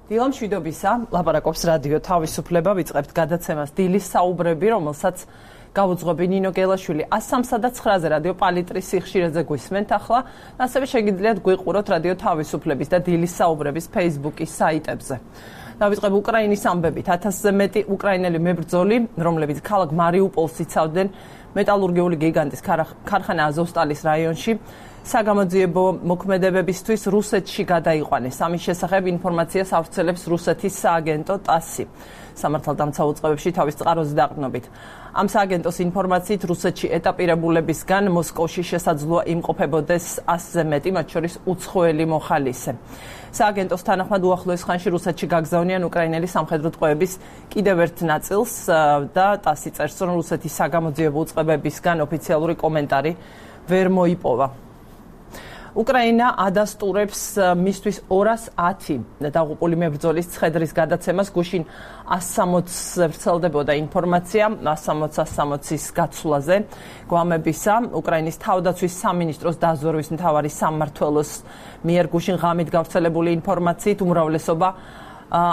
დილამ შვიდობისა, ლაპარაკობს რადიო თავისუფლება, ვიწყებთ გადაცემას დილის საუბრები, რომელსაც გავუძღვები ნინო გელაშვილი 103.9-ზე რადიო პალიტრის სიხშირეზე გვისმენთ ახლა, ასევე შეგიძლიათ გვიყუროთ რადიო თავისუფლების და დილის საუბრების Facebook-ის საიტებზე. დავიწყებ უკრაინის ამბებით. 1000-ზე მეტი უკრაინელი მებრძოლი, რომლებიც ქალაქ მარიუპოლს იცავდნენ, მეტალურგიული გიგანტის ქარხანა აზოვსტალის რაიონში საგამოძიებო მოქმედებებისთვის რუსეთში გადაიყვანეს. ამის შესახებ ინფორმაციას ავრცელებს რუსეთის სააგენტო TASS-ი. სამართალდამცავ უწყებებში თავის წყაროზე დაყრდნობით. ამ სააგენტოს ინფორმაციით რუსეთში ეტაპირებულებისგან მოსკოვში შესაძლოა იმყოფებოდეს 100-ზე მეტი, მათ შორის უცხოელი მოხალისე. სააგენტოს თანახმად უახლოეს ხანში რუსეთში გაგზავნიან უკრაინელი სამხედრო ტყვეების კიდევ ერთ ნაწილს და TASS-ი წერს, რომ რუსეთის საგამოძიებო უწყებებისგან ოფიციალური კომენტარი ვერ მოიპოვა. უკრაინა ადასტურებს მისთვის 210 დაღუპული მებრძოლის ცხედრის გადაცემას. გუშინ 160 ვრცელდებოდა ინფორმაცია 160-160-ის გაცვლაზე გვამებისა. უკრაინის თავდაცვის სამინისტროს დაზვერვის მთავარი სამმართველოს მიერ გუშინ ღამით გავრცელებული ინფორმაციით უმრავლესობა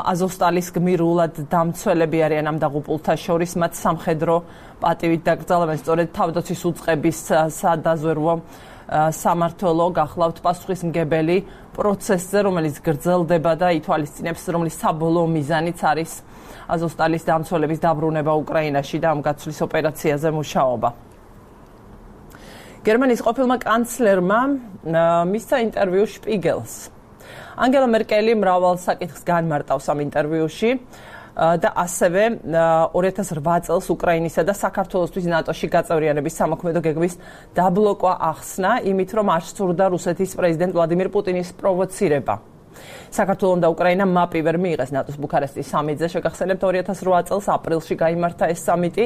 აზოვსტალის გმირულად დამცველები არიან ამ დაღუპულთა შორის. მათ სამხედრო პატივით დაკრძალებენ. სწორედ თავდაცვის უწყების სადაზვერვო სამმართველო გახლავთ პასუხისმგებელი პროცესზე, რომელიც გრძელდება და ითვალისწინებს, რომლის საბოლოო მიზანიც არის აზოვსტალის დამცველების დაბრუნება უკრაინაში და ამ გაცვლის ოპერაციაზე მუშაობა. გერმანიის ყოფილმა კანცლერმა მისცა ინტერვიუ შპიგელს. ანგელა მერკელი მრავალ საკითხს განმარტავს ამ ინტერვიუში და ასევე 2008 წელს უკრაინისა და საქართველოსთვის ნატოში გაწევრიანების სამოქმედო გეგმის დაბლოკვა ახსნა, იმით რომ არ სურდა რუსეთის პრეზიდენტ ვლადიმირ პუტინის პროვოცირება. საქართველომ და უკრაინამ მაპი ვერ მიიღეს ნატოს ბუქარესტის სამიტზე. შეგახსენებთ 2008 წელს აპრილში გაიმართა ეს სამიტი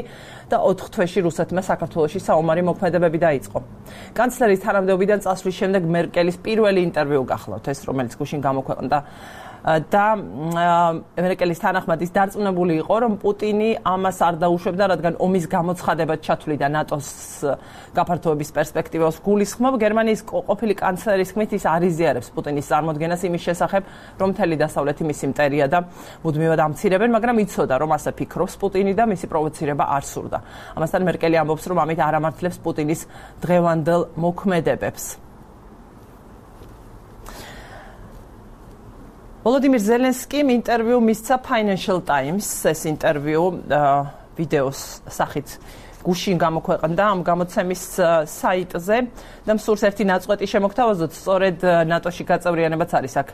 და 4 თვეში რუსეთმა საქართველოში საომარი მოქმედებები დაიწყო. კანცლერის თანამდებობიდან წასვლის შემდეგ მერკელის პირველი ინტერვიუ გახლავთ ეს, რომელიც გუშინ გამოქვეყნდა და მერკელის თანახმად ის დარწმუნებული იყო, რომ პუტინი ამას არ დაუშვებდა, რადგან ომის გამოცხადებად ჩათვლიდა ნატოს გაფართოების პერსპექტივას გულისხმობ. გერმანიის ყოფილი კანცლერის თქმით, ის არ იზიარებს პუტინის წარმოდგენას იმის შესახებ, რომ მთელი დასავლეთი მისი მტერია და მუდმივად ამცირებენ, მაგრამ იცოდა, რომ ასე ფიქრობს პუტინი და მისი პროვოცირება არ სურდა. ამასთან მერკელი ამბობს, რომ ამით არ ამართლებს პუტინის დღევანდელ მოქმედებებს. ვოლოდიმირ ზელენსკიმ ინტერვიუ მისცა Financial Times, ეს ინტერვიუ ვიდეოს სახით გუშინ გამოქვეყნდა ამ გამოცემის საიტზე და მსურს ერთი ნაწყვეტი შემოგთავაზოთ, სწორედ ნატოში გაწევრიანებაც არის აქ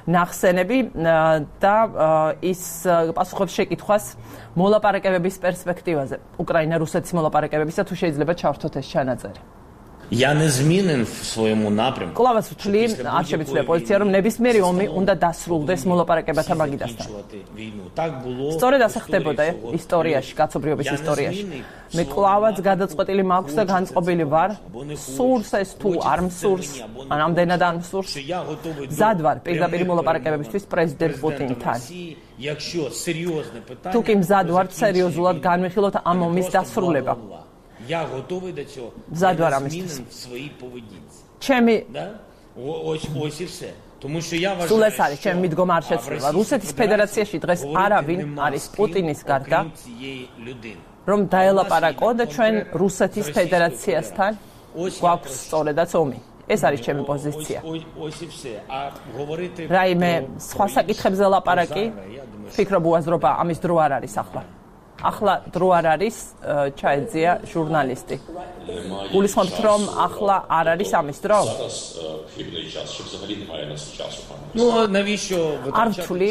ნახსენები და ის პასუხობს შეკითხვას მოლაპარაკებების პერსპექტივაზე. უკრაინა-რუსეთის მოლაპარაკებებისა, თუ შეიძლება ჩავრთოთ ეს ჩანაწერი. Я не змінен в своєму напрямку. კლავაც ვთვლი, არ შემიძლია პოზიცია, რომ ნებისმიერი ომი უნდა დასრულდეს მოლაპარაკებათა მაგიდასთან. სწორედ ასე ხდებოდა ისტორიაში, კაცობრიობის ისტორიაში. მე კლავაც გადაწყვეტილი მაქვს და განწყობილი ვარ, სურს ეს თუ არ მსურს, ან ამდენად არ მსურს. მზად ვარ პირდაპირ მოლაპარაკებებისთვის პრეზიდენტ პუტინთან. თუ კი მზად ვარ სერიოზულად განვიხილოთ ამ ომის დასრულება. Я готовий до цього. Задвар амისთვის. Свої поведінці. ჩემი ось і все. Тому що я вважаю, სულ ეს არის ჩემი მიდგომა არ შეცვლილა. რუსეთის ფედერაციაში დღეს არავინ არის პუტინის გარდა, რომ დაელაპარაკო და ჩვენ რუსეთის ფედერაციასთან გვაქვს სწორედაც ომი. ეს არის ჩემი პოზიცია. ось і все. А говорити რაიმე სხვა საკითხებზე ლაპარაკი, ფიქრობ უაზრობა ამის დრო არ არის ახლა. ახლა დრო არ არის, ჩაეძია ჟურნალისტი. გულისხმობთ, რომ ახლა არ არის ამის დრო? Ну, навіщо არ ვთვლი,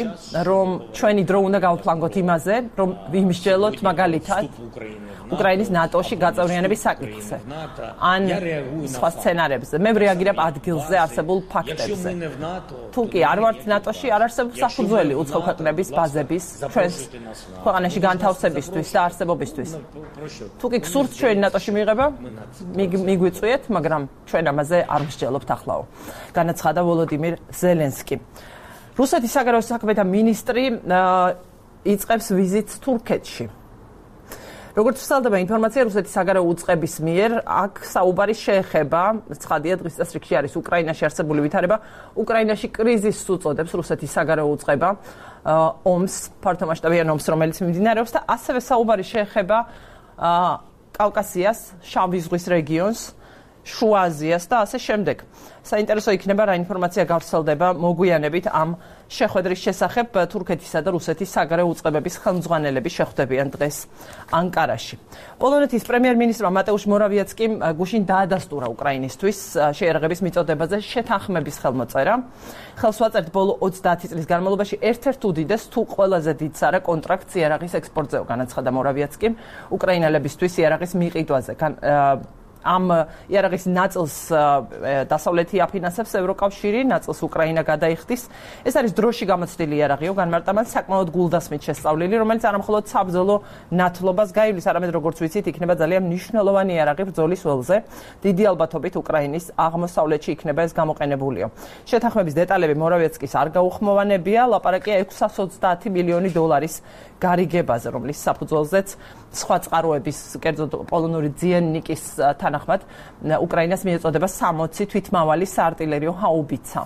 რომ ჩვენი დრო უნდა გავფლანგოთ იმაზე, რომ ვიმსჯელოთ მაგალითად უკრაინის ნატოში გაწევრიანების საკითხზე. ან სხვა სცენარებზე. მე რეაგირებ ადგილზე არსებულ ფაქტებზე. თუ კი არ ვართ ნატოში, არ არსებობს საფუძველი უცხო ქვეყნების ბაზების ჩვენს ქვეყანაში განთავსებისთვის და არსებობისთვის. თუ კი გსურთ ჩვენი ნატოში მიღება, მიგვიწვიეთ, მაგრამ ჩვენ ამაზე არ ვსჯელობთ ახლაო. განაცხადა ვოლოდიმირ ზელენსკი. რუსეთის საგარეო საქმეთა მინისტრი იწყებს ვიზიტს თურქეთში. როგორც ვრცელდება ინფორმაცია რუსეთის საგარეო უწყების მიერ, აქ საუბარი შეეხება, ცხადია დღის წესრიგში არის უკრაინაში არსებული ვითარება, უკრაინაში კრიზისს უწოდებს რუსეთის საგარეო უწყება, ომს, ფართომასშტაბიან ომს, რომელიც მიმდინარეობს და ასევე საუბარი შეეხება კავკასიას, შავი ზღვის რეგიონს, შუა აზიას და ასე შემდეგ. საინტერესო იქნება რა ინფორმაცია გავრცელდება მოგვიანებით ამ შეხვედრის შესახებ თურქეთისა და რუსეთის საგარეო უწყებების ხელმძღვანელები შეხვდებიან დღეს ანკარაში. პოლონეთის პრემიერ-მინისტრმა მატეუშ მორავიაცკიმ გუშინ დაადასტურა უკრაინისთვის შეიარაღების მიწოდებაზე შეთანხმების ხელმოწერა. ხელს ვაწერთ ბოლო 30 წლის განმავლობაში ერთ-ერთ უდიდეს თუ ყველაზე დიდ სარა კონტრაქტს იარაღის ექსპორტზეო, განაცხადა მორავიაცკიმ უკრაინელებისთვის იარაღის მიყიდვაზე. ამ იარაღის ნაწილს დასავლეთი აფინანსებს ევროკავშირი, ნაწილს უკრაინა გადაიხდის. ეს არის დროში გამოცდილი იარაღიო, განმარტავად საკმაოდ გულდასმით შესწავლილი, რომელიც არამხოლოდ საბრძოლო ნათლობას გაივლის, არამედ როგორც ვიცით, იქნება ძალიან მნიშვნელოვანი იარაღი ბრძოლის ველზე. დიდი ალბათობით უკრაინის აღმოსავლეთში იქნება ეს გამოყენებულიო. შეთანხმების დეტალები მორავიაცკის არ გაუხმოვანებია, ლაპარაკია 620 მილიონი დოლარის გარიგებაზე, რომლის საფუძველზეც სხვა წყაროების, კერძოდ პოლონური ძიენნიკის თანახმად უკრაინას მიეწოდება 60 თვითმავალი საარტილერიო ჰაუბიცა.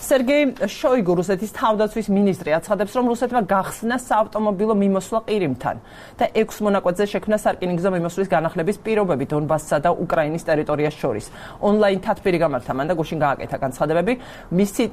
სერგეი შოიგუ, რუსეთის თავდაცვის მინისტრი, აცხადებს, რომ რუსეთმა გახსნა საავტომობილო მიმოსვლა ყირიმთან და 6 მონაკვეთზე შექმნა სარკინიგზო მიმოსვლის განახლების პირობები დონბასსა და უკრაინის ტერიტორიას შორის. ონლაინ თათბირი გამართა მან და გუშინ გააკეთა განცხადებები. მისი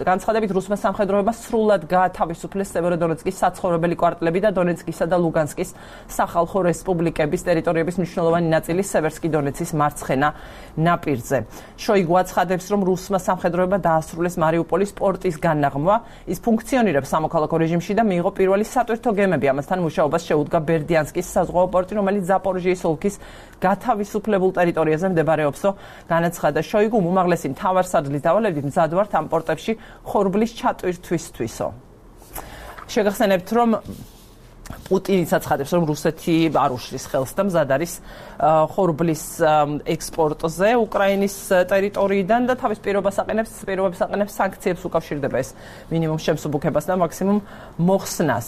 განცხადებით რუსმა სამხედროებმა სრულად გაათავისუფლეს სევეროდონეცკის საცხოვრებელი კვარტლები და დონეცკისა და ლუგანსკის სახალხო რესპუბლიკების ტერიტორიების მნიშვნელოვანი ნაწილი სევერსკი დონეცის მარცხენა ნაპირზე. შოიგუ აცხადებს, რომ რუსმა სამხედროებმა დაასრულეს მარიუპოლის პორტის განაღმვა, ის ფუნქციონირებს სამოქალაქო რეჟიმში და მიიღო პირველი სატვირთო გემები. ამასთან მუშაობას შეუდგა ბერდიანსკის საზღვაო პორტი, რომელიც ზაპოროჟიის ოლქის გათავისუფლებულ ტერიტორიაზე მდებარეობსო, განაცხადა შოიგუმ, უმაღლესი მთავარსარდლის დავალებით მზად ვართ ამ პორტებში ხორბლის ჩატვირთვისთვისო. შეგახსენებთ, რომ პუტინიც აცხადებს, რომ რუსეთი არ უშლის ხელს და მზად არის ხორბლის ექსპორტზე უკრაინის ტერიტორიიდან და თავის პირობებს აყენებს სანქციებს უკავშირდება ეს მინიმუმ შემსუბუქებას და მაქსიმუმ მოხსნას.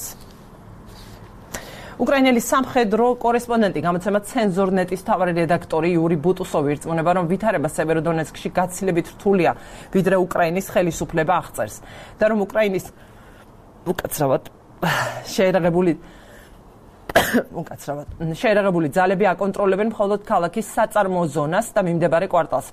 უკრაინელი სამხედრო კორესპონდენტი, გამოცემა ცენზორნეტის მთავარი რედაქტორი იური ბუტუსოვი ირწმუნება, რომ ვითარება სევეროდონეცკში გაცილებით რთულია, ვიდრე უკრაინის ხელისუფლება აღწერს და რომ უკრაინის უკაცრავად შეერაღებული ძალები აკონტროლებენ მხოლოდ ქალაქის საწარმოო ზონას და მიმდებარე კვარტალს.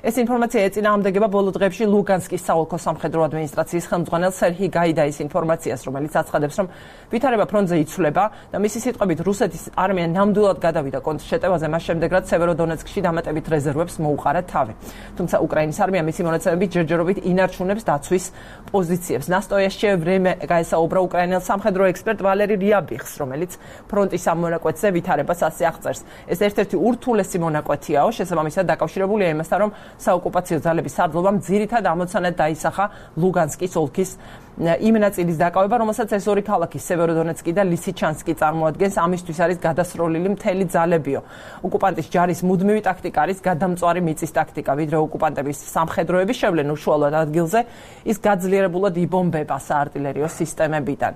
ეს ინფორმაცია ეწინააღმდეგება ბოლო დღეებში ლუგანსკის საოლქო სამხედრო ადმინისტრაციის ხელმძღვანელ სერჰი გაიდაის ინფორმაციას, რომელიც აცხადებს, რომ ვითარება ფრონტზე იცვლება და მისი სიტყვებით რუსეთის არმია ნამდვილად გადავიდა კონტრშეტევაზე მას შემდეგ, რაც სევეროდონეცკში დამატებით რეზერვებს მოუყარა თავი. თუმცა უკრაინის არმია მისი მონაცემებით ჯერჯერობით ინარჩუნებს დაცვის პოზიციებს. ნასტოიაშჩე ვრემე გაესაუბრა უკრაინელ სამხედრო ექსპერტ ვალერი რიაბიხს, რომელიც ფრონტის ამ მონაკვეთზე ვითარებას ასე აღწერს. ეს ერთ-ერთი ურთულესი მონაკვეთიაო, შესაბამისად დაკავშირებულია იმასთან, რომ საოკუპაციო ძალების სარდლობამ ძირითად ამოცანად დაისახა ლუგანსკის ოლქის იმ ნაწილის დაკავება, რომელსაც ეს ორი ქალაქი სევეროდონეცკი და ლისიჩანსკი წარმოადგენს, ამისთვის არის გადასროლილი მთელი ძალებიო. ოკუპანტის ჯარის მუდმივი ტაქტიკა არის გადამწვარი მიწის ტაქტიკა, ვიდრე ოკუპანტების სამხედროები შევლენ უშუალოდ ადგილზე, ის გაძლიერებულად იბომბება საარტილერიო სისტემებიდან.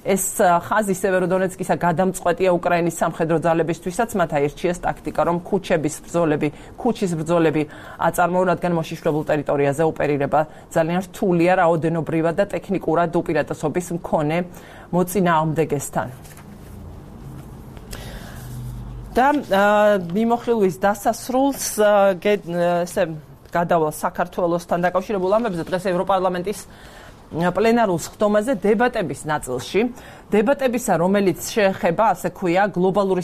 ეს ხაზი სევეროდონეცკისა გადამწყვეტია უკრაინის სამხედრო ძალებისთვისაც, მათ აირჩიეს ტაქტიკა, რომ ქუჩის ბრძოლები აწარმოონ, რადგან მოშიშვლებულ ტერიტორიაზე ოპერირება ძალიან რთულია რაოდენობრივად და ტექნიკურად უპირატესობის მქონე მოწინააღმდეგესთან. და მიმოხილვის დასასრულს გადავალ საქართველოსთან დაკავშირებულ ამბებზე დღეს ევროპარლამენტის პლენარულ სხდომაზე დებატების ნაწილში. დებატებისა, რომელიც შეეხება, ასე ქვია, გლობალური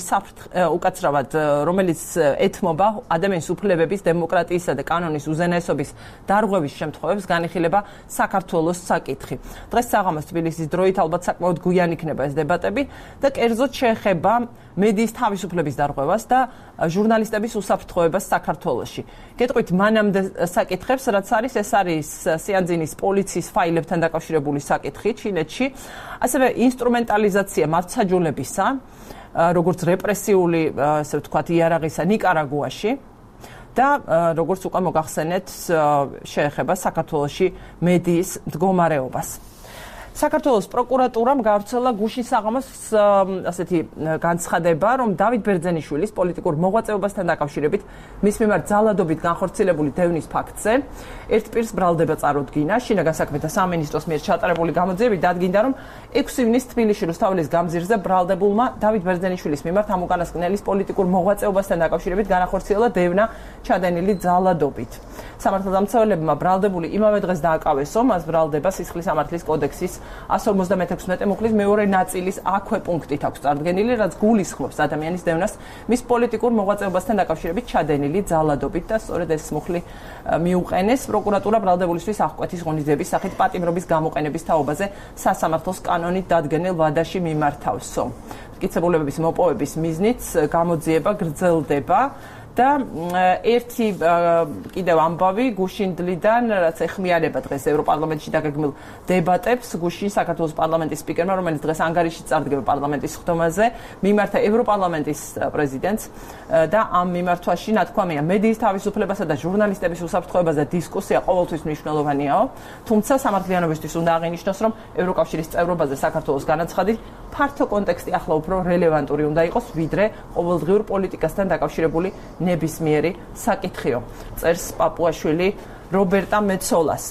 უკაცრავად, რომელიც ეთმობა ადამიანის უფლებების, დემოკრატიისა და კანონის უზენაესობის დარღვევის შემთხვევებს, განიხილება საქართველოს საკითხი. დღეს საღამოს თბილისის დროით ალბათ საკმაოდ გვიან იქნება ეს დებატები და კერძოდ შეეხება მედიის თავისუფლების დარღვევას და ჟურნალისტების უსაფრთხოებას საქართველოში. გეტყვით მანამდე საკითხებს, რაც არის, ეს არის სიანძინის პოლიციის ფაილებთან დაკავშირებული საკითხი ჩინეთში, ასევე ინსტრუმენტალიზაცია მართლმსაჯულებისა, როგორც რეპრესიული, ასე ვთქვათ, იარაღისა ნიკარაგუაში და როგორც უკვე მოგახსენეთ, შეეხება საქართველოში მედიის მდგომარეობას. საქართველოს პროკურატურამ გავრცელა გუშინ საღამოს ასეთი განცხადება, რომ დავით ბერძენიშვილის პოლიტიკურ მოღვაწეობასთან დაკავშირებით მის მიმართ ძალადობით განხორციელებული დევნის ფაქტზე ერთ პირს ბრალდება წარუდგინა. შინაგან საქმეთა სამინისტროს მიერ ჩატარებული გამოძიებით დადგინდა, რომ 6 ივნისს თბილისში რუსთაველის გამზირზე ბრალდებულმა დავით ბერძენიშვილის მიმართ ამ უკანასკნელის პოლიტიკურ მოღვაწეობასთან დაკავშირებით განახორციელა დევნა ჩადენილი ძალადობით. სამართალდამცველებმა ბრალდებული იმავე დღეს დააკავესო, მას ბრალდება სისხლის სამართლის კოდექსის 156 მუხლის მეორე ნაწილის აქვე პუნქტით აქვს წარდგენილი, რაც გულისხმობს ადამიანის დევნას მის პოლიტიკურ მოღვაწეობასთან დაკავშირებით ჩადენილი ძალადობით და სწორედ ეს მუხლი მიუყენეს პროკურატურა ბრალდებულისთვის აღკვეთის ღონისძიების სახით პატიმრობის გამოყენების თაობაზე სასამართლოს კანონით დადგენილ ვადაში მიმართავსო. მტკიცებულებების მოპოვების მიზნით გამოძიება გრძელდება. და ერთი კიდევ ამბავი გუშინდლიდან, რაც ეხმიანება დღეს ევროპარლამენტში დაგეგმილ დებატებს, გუშინ საქართველოს პარლამენტის სპიკერმა, რომელიც დღეს ანგარიში წარდგება პარლამენტის ხდომაზე, მიმართა ევროპარლამენტის პრეზიდენტს და ამ მიმართვაში ნათქვამია მედიის თავისუფლებასა და ჟურნალისტების უსაფრთხოებაზე დისკუსია ყოველთვის მნიშვნელოვანიაო, თუმცა სამართლიანობისთვის უნდა აღინიშნოს, რომ ევროკავშირის წევრობაზე საქართველოს განაცხადი ფართო კონტექსტი ახლა უფრო რელევანტური უნდა იყოს, ვიდრე ყოველდღიურ პოლიტიკასთან დაკავშირებული ნებისმიერი საკითხიო. წერს პაპუაშვილი რობერტა მეცოლას.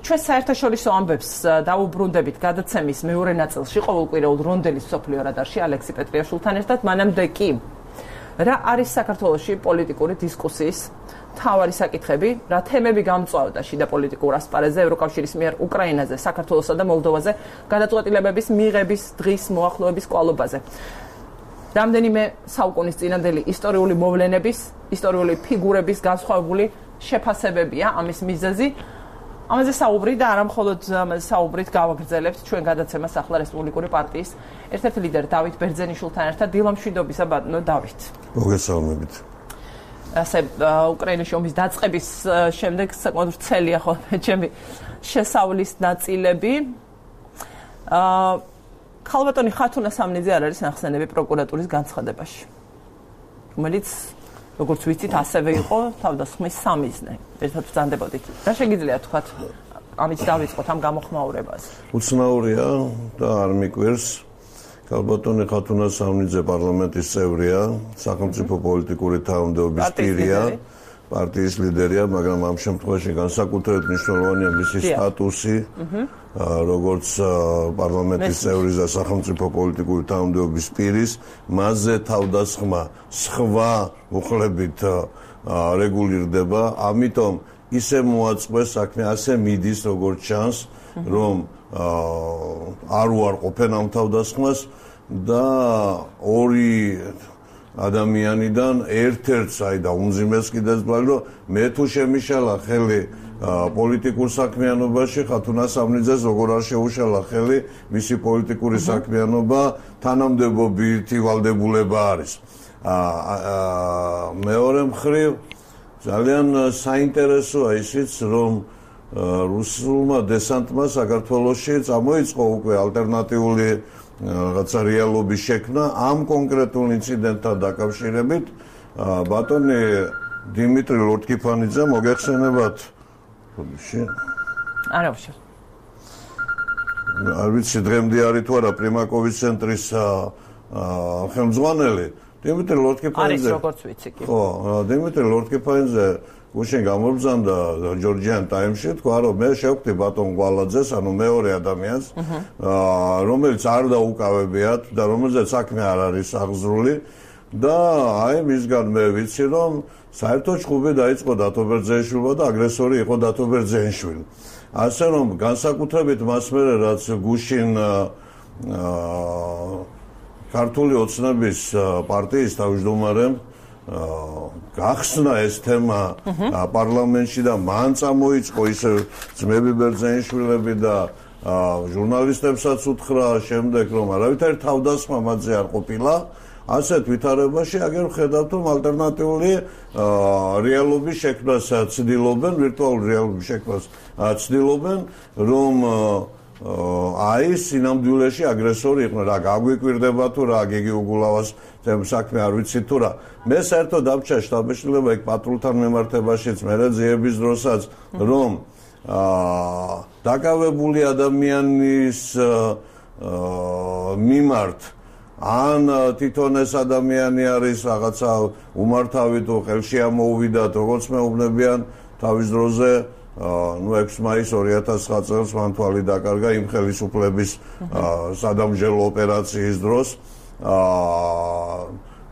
ჩვენ საერთაშორისო ამბებს დაუბრუნდებით გადაცემის მეორე ნაწილში ყოველკვირეულ რონდელის მსოფლიო რადარში ალექსი პეტრიაშვილთან ერთად. მანამდე კი რა არის საქართველოში პოლიტიკური დისკუსიის მთავარი საკითხები, რა თემები გამწვავდა შიდა პოლიტიკურ ასპარეზზე ევროკავშირის მიერ უკრაინაზე, საქართველოსა და მოლდოვაზე გადაწყვეტილებების მიღების დღის მოახლოების კვალობაზე. რამდენიმე საუკუნის წინანდელი ისტორიული მოვლენების, ისტორიული ფიგურების განსხვავებული შეფასებებია ამის მიზეზი. ამაზე საუბრი და არა მხოლოდ ამაზე საუბრით გავაგრძელებთ ჩვენ გადაცემას ახლა რესპუბლიკური პარტიის ერთ-ერთი ლიდერი დავით ბერძენიშვილთან ერთად. დილამშვიდობისა ბატონო დავით. მოგესალმებით. ასე უკრაინის ომის დაწყების შემდეგ საკმაოდ ვრცელია ხოლმე ჩემი შესავლის ნაწილები. ქალბატონი ხათუნა სამნიძე არ არის ნახსენები პროკურატურის განცხადებაში, რომელიც როგორც ვიცით ასევე იყო თავდასხმის სამიზნე. ერთად ბრძანდებოდით. რა შეგიძლია თქვათ ამით დავიწყოთ ამ გამოხმაურებას? უცნაურია და არ მიკვირს. ქალბატონი ხათუნა სამნიძე პარლამენტის წევრია, სახელმწიფო პოლიტიკური თანამდებობის პირია, პარტიის ლიდერია, მაგრამ ამ შემთხვევაში განსაკუთრებით მნიშვნელოვანია მისი სტატუსი, როგორც პარლამენტის წევრის და სახელმწიფო პოლიტიკური თანამდებობის პირის, მასზე თავდასხმა სხვა მუხლებით რეგულირდება, ამიტომ ისე მოაწყვეს საქმე, ასე მიდის როგორც ჩანს, რომ არ უარყოფენ ამ თავდასხმას და ორი ადამიანიდან ერთ-ერთს აი და უმძიმეს კიდეც ბლალი, რომ მე თუ შემიშალა ხელი პოლიტიკურ საქმიანობაში, ხათუნა სამნიძეს როგორ არ შეუშალა ხელი მისი პოლიტიკური საქმიანობა, თანამდებობითი ვალდებულება არის. მეორე მხრივ ძალიან საინტერესოა ისიც, რომ რუსულმა დესანტმა საქართველოში წამოიწყო უკვე ალტერნატიული რაღაცა რეალობის შექმნა ამ კონკრეტულ ინციდენტთან დაკავშირებით. ბატონი დიმიტრი ლორთქიფანიძე მოგეხსენებათ არა უშო. არ ვიცი დღემდე არის თუ არა პრიმაკოვის ცენტრის ხელმძღვანელი დიმიტრი ლორთქიფანიძე. არის როგორც ვიცი კი. ხო, დიმიტრი ლორთქიფანიძე გუშინ გამობრძანდა ჯორჯიან ტაიმში, თქვა რომ მე შევხვდი ბატონ გვალაძეს, ანუ მეორე ადამიანს, რომელიც არ დაუკავებიათ და რომელზეც საქმე არ არის აღზრული და აი მისგან მე ვიცი რომ საერთოდ ჭუბი დაიწყო დათო ბერძენიშვილმა და აგრესორი იყო დათო ბერძენიშვილი. ასე რომ განსაკუთრებით მას მერე რაც გუშინ ქართული ოცნების პარტიის თავმჯდომარემ გახსნა ეს თემა პარლამენტში და მან წამოიწყო ისე ძმები ბერძენიშვილები და ჟურნალისტებსაც უთხრა შემდეგ რომ არავითარი თავდასხმა მათზე არ ყოფილა. ასეთ ვითარებაში აგერ ვხედავთ რომ ალტერნატიული რეალობის შექმნას ცდილობენ, ვირტუალური რეალობის შექმნას ცდილობენ, რომ აი სინამდვილეში აგრესორი იყვნენ. რა გაგვიკვირდება თუ რა გიგი უგულავას საქმე არ ვიცი თუ რა. მე საერთოდ დამჭა შტაბ-მეშლება იქ პატრულთან მიმართებაშიც, მე ძიების დროსაც რომ დაკავებული ადამიანის მიმართ ან თვითონ ეს ადამიანი არის რაღაცა უმართავი თუ ხელში ამოუვიდათ, როგორც მეუბნებიან თავის დროზე 6 მაისს 2009 წელს მან თვალი დაკარგა იმ ხელისუფლების სადამსჯელო ოპერაციის დროს.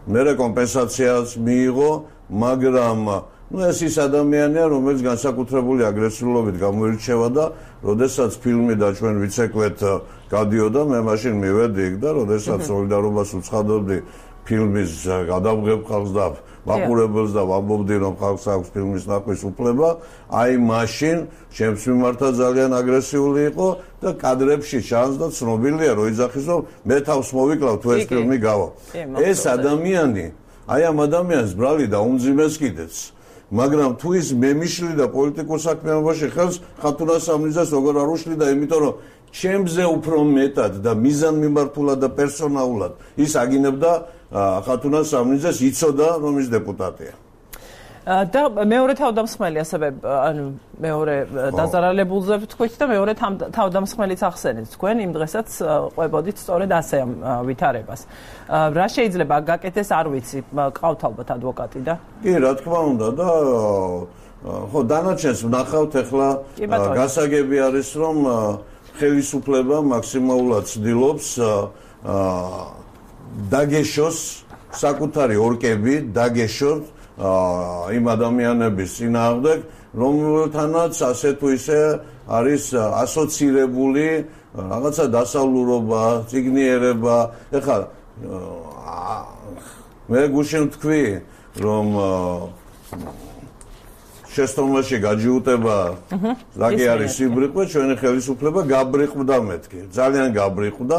მერე კომპენსაციას მიიღო, მაგრამ ეს ის ადამიანია, რომელიც განსაკუთრებული აგრესიულობით გამოირჩევა და როდესაც ფილმი და ჩვენ ვიცეკვეთ გადიოდა, მე მაშინ მივედი იქ და როდესაც სოლიდარობას უცხადობდი ფილმის გადამღებ ხალხს და მაყურებელს და ვამბობდი რომ ხალხს აქვს ფილმის ნახვის უფლება, აი მაშინ ჩემს მიმართა ძალიან აგრესიული იყო და კადრებში ჩანს და ცნობილია რომ იძახის რომ მე თავს მოვიკლავ თუ ეს ფილმი გავა. ეს ადამიანი, აი ამ ადამიანს ბრალი დაუმძიმეს კიდეც. მაგრამ თუ ის მემიშლი და პოლიტიკურ საქმიანობაში ხელს ხათუნა სამნიძეს როგორ არ უშლიდა, იმიტომ რომ ჩემზე უფრო მეტად და მიზანმიმართულად და პერსონალურად ის აგინებდა ხათუნა სამნიძეს, იცოდა რომ ის დეპუტატია. და მეორე თავდამსხმელი ასევე ანუ მეორე დაზარალებულზე ვთქვით და მეორე თავდამსხმელიც ახსენეთ თქვენ იმ დღესაც ყვებოდით სწორედ ასე ამ ვითარებას. რა შეიძლება გაკეთდეს არ ვიცი, ყავთ ალბათ ადვოკატი და კი რა თქმა უნდა და ხო დანარჩენს ვნახავთ ახლა გასაგები არის რომ ხელისუფლება მაქსიმალურად ცდილობს დაგეშოს საკუთარი ორკები დაგეშოთ იმ ადამიანების წინააღმდეგ, რომელთანაც ასე თუ ისე არის ასოცირებული რაღაცა დასავლურობა, წიგნიერება. ეხლა მე გუშინ ვთქვი, რომ შეცდომაში გაჯიუტება რაკი არის სიბრიყვე, ჩვენი ხელისუფლება გაბრიყვდა მეთქი. ძალიან გაბრიყვდა.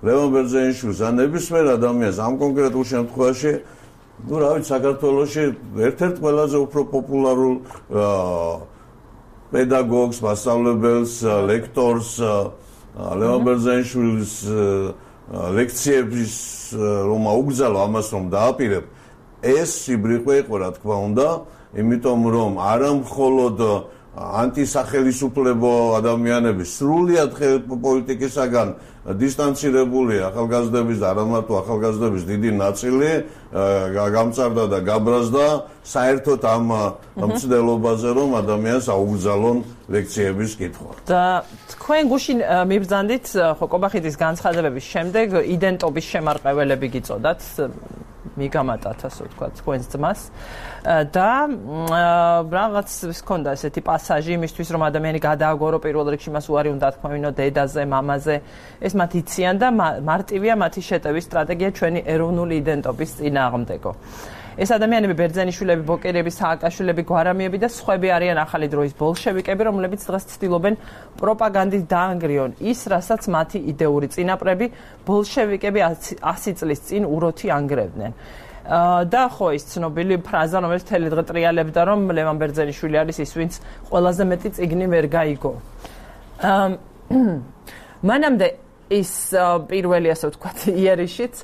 ლევან ბერძენიშვილს ან ნებისმიერ ადამიანს ამ კონკრეტულ შემთხვევაში ну, რა ვიცი, საქართველოში ერთ-ერთ ყველაზე უფრო პოპულარულ პედაგოგს, მასწავლებელს, ლექტორს, ლევან ბერძენიშვილის ლექციების რომ აუგზავნო ამას რომ დააპირებ, ეს სიბრიყვე იყო, რა თქმა უნდა, იმიტომ რომ არა მხოლოდ ანტისახელისუფლებო ადამიანები სრულიად პოლიტიკისაგან დისტანცირებული ახალგაზრდების და არა მარტო ახალგაზრდების დიდი ნაწილი გამწარდა და გაბრაზდა საერთოდ ამ მცდელობაზე რომ ადამიანს აუგზავნონ ლექციების კითხვა. და თქვენ გუშინ მიბრძანდით ხო კობახიძის განცხადებების შემდეგ იდენტობის შემარყეველები გიწოდათ მიგამატათ ასე ვთქვათ თქვენს ძმას და რაღაც ჰქონდა ესეთი პასაჟი იმისთვის რომ ადამიანი გადააგორო პირველ რიგში მას უარი უნდა თქმევინო დედაზე, მამაზე. ეს მათ იციან და მარტივია მათი შეტევის სტრატეგია ჩვენი ეროვნული იდენტობის წინააღმდეგო. ეს ადამიანები ბერძენიშვილები, ბოკერები, სააკაშვილები, გვარამიები და სხვები არიან ახალი დროის ბოლშევიკები, რომლებიც დღეს ცდილობენ პროპაგანდით დაანგრიონ ის, რასაც მათი იდეური წინაპრები ბოლშევიკები 100 წლის წინ უროთი ანგრევდნენ. და ხო ის ცნობილი ფრაზა, რომელიც მთელი დღე ტრიალებდა, რომ ლევან ბერძენიშვილი არის ის, ვინც ყველაზე მეტი წიგნი ვერ გაიგო. მანამდე ის პირველი ასე ვთქვათ იერიშიც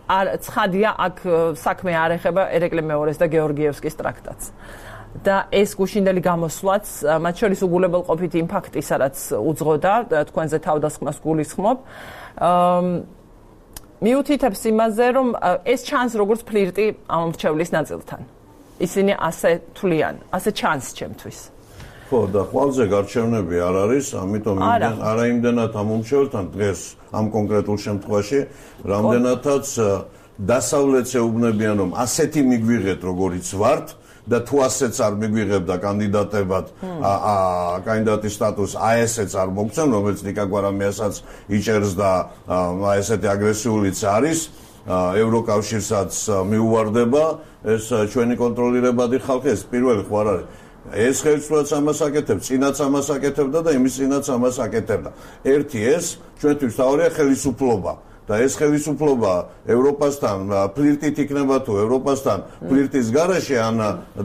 ცხადია აქ საქმე არ ეხება ერეკლე მეორეს და გეორგიევსკის ტრაქტატს. და ეს გუშინდელი გამოსვლაც, მათ შორის უგულებელყოფით იმ ფაქტისა, რაც უძღოდა თქვენზე თავდასხმას გულისხმობ, მიუთითებს იმაზე, რომ ეს ჩანს როგორც ფლირტი ამ მრჩევლის ნაწილთან. ისინი ასე თვლიან, ასე ჩანს ჩემთვის. ხო, და ყველაზე გარჩევნები არ არის, ამიტომ არა იმდენად ამ მომჩევლთან დღეს ამ კონკრეტულ შემთხვევაში, რამდენადაც დასავლეთს ეუბნებიან, რომ ასეთი მიგვიღეთ, როგორიც ვართ და თუ ასეც არ მიგვიღებდა კანდიდატებად, კანდიდატის სტატუსს ესეც არ მოგცემ, რომელიც ნიკა გვარამიასაც იჭერს და ესეთი აგრესიულიც არის, ევროკავშირსაც მიუვარდება, ეს ჩვენი კონტროლირებადი ხალხი, ეს პირველი ხო არ არის. ეს ხელისუფლებაც ამას აკეთებს, წინაც ამას აკეთებდა და იმის წინაც ამას აკეთებდა. ერთი ეს ჩვენთვის თავია ხელისუფლება და ეს ხელისუფლება ევროპასთან ფლირტით იქნება თუ ევროპასთან ფლირტის გარეშე ან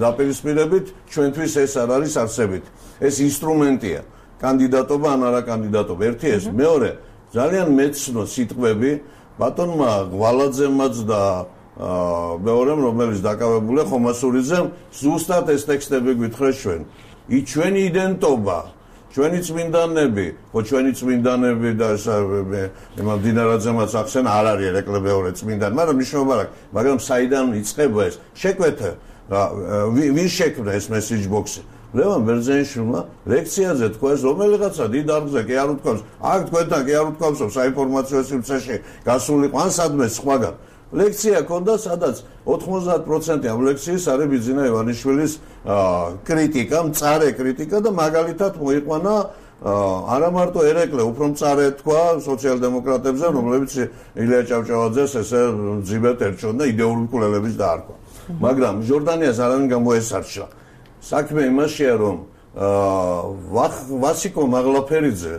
დაპირისპირებით ჩვენთვის ეს არ არის არსებით. ეს ინსტრუმენტია, კანდიდატობა ან არა კანდიდატობა. ერთი ეს, მეორე ძალიან მეცნო სიტყვები ბატონმა ღვალაძემაც და მეორემ რომელიც დაკავებულია ხომასურიძემ ზუსტად ეს ტექსტები გვითხრეს ჩვენ. ჩვენი იდენტობა ჩვენი წმინდანები, ხო ჩვენი წმინდანები და იმამ დინარაძემაც ახსენა არ არის ერეკლე წმინდანი, მაგრამ მნიშვნელობა არ აქვს, მაგრამ საიდან იწყება ეს? შეკვეთა ვინ შექმნა ეს message box-ი? ლევან ბერძენიშვილმა ლექციაზე თქვა ეს რომელიღაცა დიდ არგზე კი არ უთქვამს, აქ თქვენთან კი არ უთქვამსო საინფორმაციო სივრცეში გასულიყო ან სადმე სხვაგან. ლექცია ქონდა, სადაც 90% ამ ლექციის არის ბიძინა ივანიშვილის კრიტიკა, მწარე კრიტიკა და მაგალითად მოიყვანა არა მარტო ერეკლე, უფრო მწარე თქვა სოციალ-დემოკრატებზე, რომლებიც ილია ჭავჭავაძეს ესე ძიბეთ ერჩონ და იდეური მკვლელების დაარქვა. მაგრამ ჟორდანიას არანაირ გამოესარჩა. საქმე იმაშია, რომ ვასიკო მაღლაფერიძე,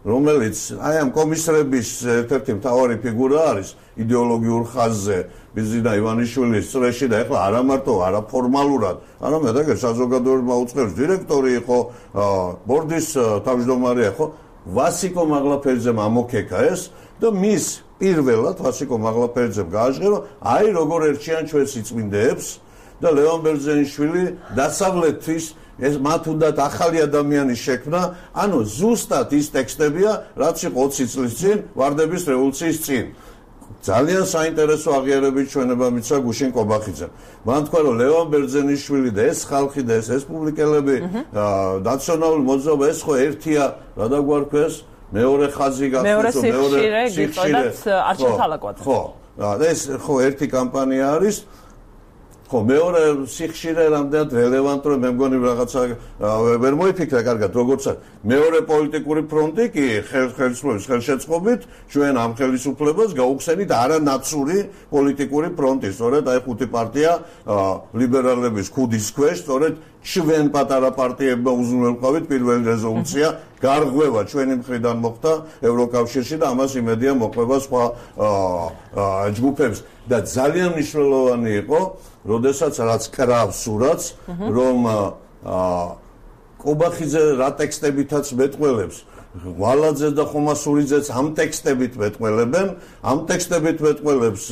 რომელიც აი ამ კომისრების ერთ-ერთი მთავარი ფიგურა არის იდეოლოგიურ ხაზზე ბიძინა ივანიშვილის წრეში და ეხლა არა მარტო არაფორმალურად, არამედ აგერ საზოგადოებრივ უწყების დირექტორი იყო, ბორდის თავმჯდომარე იყო, ვასიკო მაღლაფერიძემ ამოქეკა ეს და მის პირველად ვასიკო მაღლაფერიძემ გააჟღერა, აი როგორ ერჩიან ჩვენ სიწმინდეებს და ლევან ბერძენიშვილი დასავლეთის ეს მათ უნდა ახალი ადამიანი შექმნა, ანუ ზუსტად ის ტექსტებია, რაც იყო 20 წლის წინ ვარდების რევოლუციის წინ. ძალიან საინტერესო აღიარებით ჩვენება მიცა გუშინ კობახიძემ. მან თქვა, რომ ლევან ბერძენიშვილი და ეს ხალხი და ეს რესპუბლიკელები ნაციონალური მოძრაობა ეს ხო ერთია, რა დაგვარქვეს, მეორე ხაზი გახსოვს, მეორე სიხშირე გიწოდათ არჩილ თალაკვაძე. ხო, ეს ხო ერთი კამპანია არის. ხო, მეორე სიხშირე რამდენად რელევანტური მე მგონი რაღაცა ვერ მოიფიქრა კარგად, როგორც არის. მეორე პოლიტიკური ფრონტი კი ხელისუფლების ხელშეწყობით ჩვენ ამ ხელისუფლებას გაუხსენით არანაცური პოლიტიკური ფრონტი, სწორედ აი ხუთი პარტია ლიბერალების ქუდის ქვეშ, სწორედ ჩვენ პატარა პარტიებმა უზრუნველყავით პირველი რეზოლუცია გარღვევა ჩვენი მხრიდან მოხდა ევროკავშირში და ამას იმედია მოყვება სხვა ჯგუფებს და ძალიან მნიშვნელოვანი იყო როდესაც რაც კრავს სურათს რომ კობახიძე რა ტექსტებითაც მეტყველებს ვალაძე და ხომასურიძეც ამ ტექსტებით მეტყველებენ ამ ტექსტებით მეტყველებს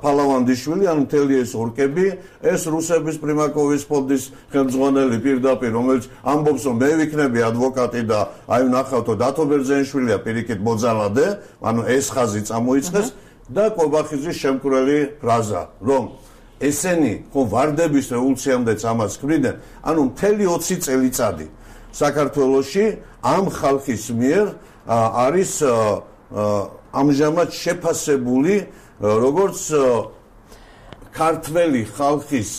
ფალავანდიშვილი ან მთელი ეს ორკები ეს რუსების პრიმაკოვის ფონდის ხელმძღვანელი პირდაპირ რომელიც ამბობს რომ მე ვიქნები ადვოკატი და აი ვნახავთო დათო ბერძენიშვილია პირიქით მოძალადე ანუ ეს ხაზი წამოიწყეს და კობახიძის შემკვრელი ფრაზა რომ ესენი ხო ვარდების რევოლუციამდეც ამას ქმნიდნენ ანუ მთელი 20 წელიწადი საქართველოში ამ ხალხის მიერ არის ამჟამად შეფასებული როგორც ქართველი ხალხის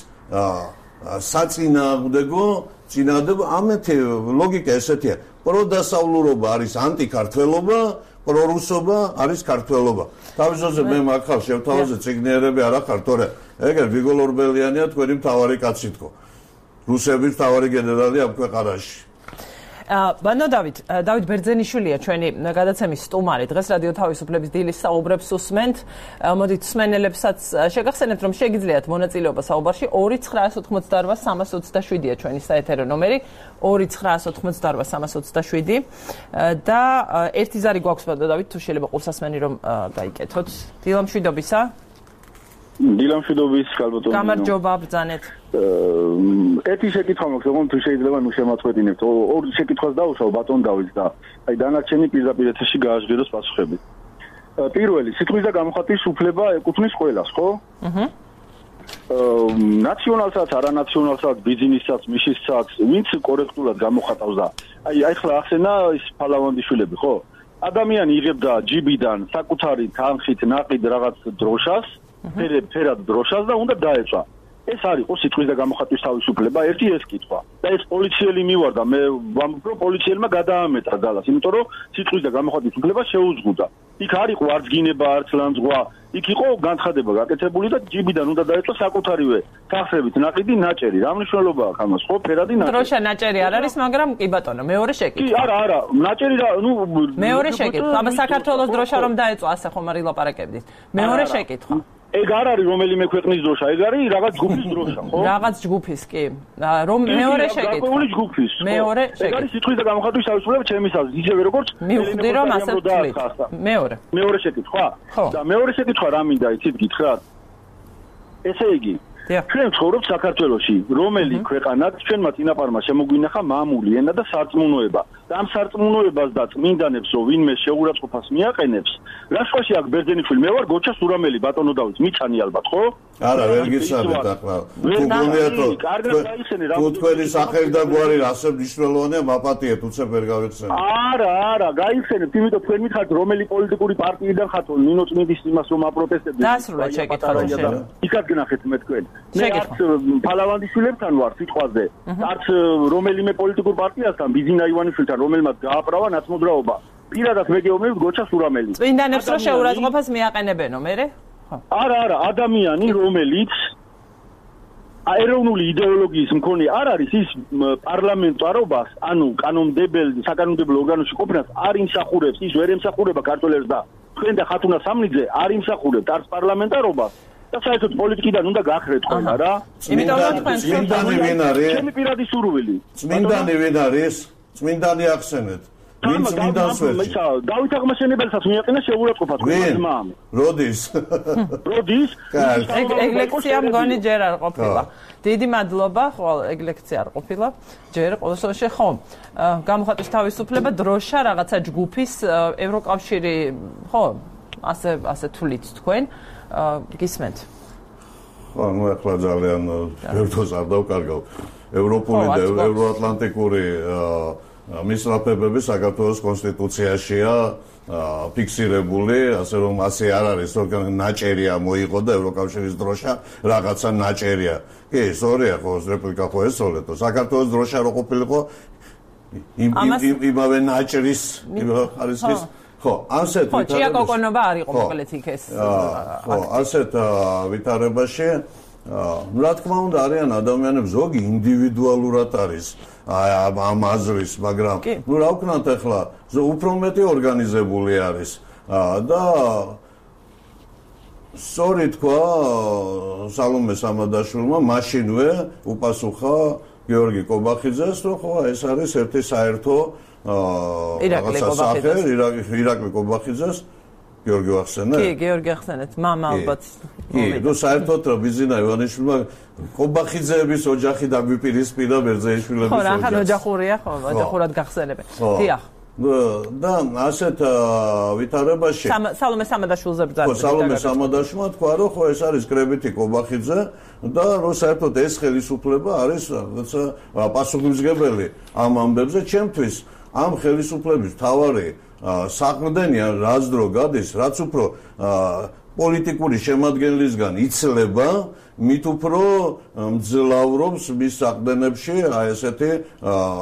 საწინააღმდეგო წინადადება ამეთი ლოგიკა ესეთია პროდასავლურობა არის ანტიქართველობა პრორუსობა არის ქართველობა თავისთავად მე მაგხალ შევთავაზე ციგნიერები არ ახარ თორე ეგერ ვიგოლ ორბელიანია თქვენი მთავარი კაცი თქო რუსების მთავარი გენერალი ამ ქვეყანაში ბანო დავით ბერძენიშვილია ჩვენი გადაცემის სტუმარი დღეს რადიო თავისუფლების დილის საუბრებს უსმენთ მოდით მსმენელებსაც შეგახსენებთ რომ შეგიძლიათ მონაწილეობა საუბარში 2988327-ია ჩვენი საეთერო ნომერი 2988327 და ერთი ზარი გვაქვს ბანო დავით თუ შეიძლება ყურსასმენი რომ გაიკეთოთ დილამშვიდობისა დილამშვიდობის ალბათ გამარჯობა ბრძანეთ ერთი შეკითხვა მაქვს რომ თუ შეიძლება ნუ შემაწყვეტინებთ ორი შეკითხვას დავუსვავ ბატონ დავითს და აი დანარჩენი პირდაპირ ეთერში გააჟღეროს პასუხები პირველი სიტყვის და გამოხატვის უფლება ეკუთვნის ყველას ხო ნაციონალსაც არანაციონალსაც ბიზნესსაც მიშისაც ვინც კორექტულად გამოხატავს და აი ახლა ახსენა ის ფალავანდიშვილები ხო ადამიანი იღებდა ჯიბიდან საკუთარი თანხით ნაყიდ რაღაც დროშას ფერად დროშას და უნდა დაეწვა ეს არის ხო სიტყვის და გამოხატვის თავისუფლება ერთი ეს კითხვა და ეს პოლიციელი მივარდა მე ვამბობ რომ პოლიციელმა გადაამეტა ძალას იმიტომ რომ სიტყვის და გამოხატვის უფლება შეუზღუდა იქ არ იყო არც გინება არც ლანძღვა იქ იყო განცხადება გაკეთებული და ჯიბიდან უნდა დაეწვა საკუთარივე თანხებით ნაყიდი ნაჭერი რა მნიშვნელობა აქვს ამას ხო ფერადი ნაჭერი დროშა ნაჭერი არ არის მაგრამ კი ბატონო მეორე შეკითხვა კი არა ნაჭერი რა ნუ მეორე შეკითხვა აბა საქართველოს დროშა რომ დაეწვა ასე ხომ არ ილაპარაკებდით მეორე შეკითხვა ეგ არ არის რომელიმე ქვეყნის დროშა, ეგ არის რაღაც ჯგუფის დროშა, ხო? რაღაც ჯგუფის, კი. რომ მეორე შეკითხვა. გარკვეული ჯგუფის. მეორე შეკითხვა. ეგ არის სიტყვის და გამოხატვის თავისუფლება ჩემისას, ისევე როგორც მივხვდი რომ ასე ვთვლით. მეორე შეკითხვა? და მეორე შეკითხვა რა მინდა იცით გითხრათ? ესე იგი, ჩვენ ცხოვრობთ საქართველოში, რომელი ქვეყანაც ჩვენმა წინაპარმა შემოგვინახა მამული ენა და სარწმუნოება. და ამ სარწმუნოებას და წმინდანებს ვინმე შეურაცხყოფას მიაყენებს, რაშუაში აქ ბერძენიშვილი მე ვარ გოჩა სურამელი ბატონო დავით, მიცანი ალბათ, ხო? არა, ვერ გიცანეთ ახლა. თუ გონიათ თუ თქვენი სახელი და გვარი ასე მნიშვნელოვანია, მაპატიეთ, უცებ ვერ გავიხსენებ. არა, გაიხსენებთ, იმიტომ თქვენ მითხართ რომელი პოლიტიკური პარტიიდან ხართ, ნინო წმინდის იმას რომ აპროტესტებდით. დასრულეთ შეკითხვა. იქაც გნახეთ მე თქვენ. მე არც ფალავანდიშვილებთან ვარ სიტყვაზე, არც რომელიმე პოლიტიკურ პარტიასთან, ბიზინა ივანიშვილთან, რომელმაც გააправა ნაცმოძრაობა. პირადად მე გეუბნებით გოჩა სურამელი. წმინდანებს რო შეურაცხყოფას მიაყენებენო, მერე? არა, ადამიანი, რომელიც ეროვნული იდეოლოგიის მქონე არ არის ის პარლამენტარობას, ანუ საკანონმდებლო ორგანოში ყოფნას არ იმსახურებს, ის ვერ ემსახურება ქართველებს და თქვენ და ხათუნა სამნიძე არ იმსახურებთ არც პარლამენტარობას და საერთოდ პოლიტიკიდან უნდა გახრეთ ყველა რა. იმიტომ რომ თქვენ წმინდანი ვინ არის? ჩემი პირადი სურვილი. წმინდანი ვინ არის? წმინდანი ახსენეთ. ვინ წმინდანს ვერჩი? დავით აღმაშენებელსაც მიაყენა შეურაცხყოფა თქვენ მამ. როდის? ეგლექცია მგონი ჯერ არ ყოფილა. დიდი მადლობა, ხოლ ეგლექცია არ ყოფილა. ჯერ ყოველ შემთხვევაში ხო. გამოხატვის თავისუფლება დროშა რაღაცა ჯგუფის ევროკავშირი, ხო? ასე თვლით თქვენ. გისმენთ. ხო, ნუ ახლა ძალიან ერთოს არ დავკარგავ. ევროპული და ევროატლანტიკური მისწრაფებები საქართველოს კონსტიტუციაშია ფიქსირებული, ასე რომ ასე არ არის, რომ ნაჭერია მოიყო და ევროკავშირის დროშა რაღაცა ნაჭერია. კი, სწორია ხო, რეპლიკა ხო ესწოლეთო. საქართველოს დროშა რო ყოფილიყო იმავე ნაჭრის ხარისხის ხო, ასეთ ხო, ჭიაკოკონობა არ იყო მოკლედ იქ ეს. ხო, ასეთ ვითარებაში რა თქმა უნდა არიან ადამიანები ზოგი ინდივიდუალურად არის ამ აზრის, მაგრამ ნუ რა ვქნათ ახლა უფრო მეტი ორგანიზებული არის და სწორი თქვა სალომე სამადაშვილმა მაშინვე უპასუხა გიორგი კობახიძეს, რომ ხო ეს არის ერთი საერთო ირაკლი კობახიძეს გიორგი ახსენეთ? კი, გიორგი ახსენეთ, მამა ალბათ. კი, ნუ საერთოდ რა ბიზინა ივანიშვილმა კობახიძეების ოჯახი დაგვიპირისპირა ბერძენიშვილების ოჯახს. ხო, რახან ოჯახურია, ხო, ოჯახურად გახსენებენ. დიახ. და ასეთ ვითარებაში სალომე სამადაშვილზე ბრძანდა. ხო, სალომე სამადაშვილმა თქვა, რომ ხო ეს არის კრებითი კობახიძე და რომ საერთოდ ეს ხელისუფლება არის რაღაცა პასუხისმგებელი ამ ამბებზე ჩემთვის ამ ხელისუფლების მთავარი საყრდენია რაც დრო გადის, რაც უფრო პოლიტიკური შემადგენლისგან იცლება, მით უფრო მძლავრობს მის საყრდენებში ესეთი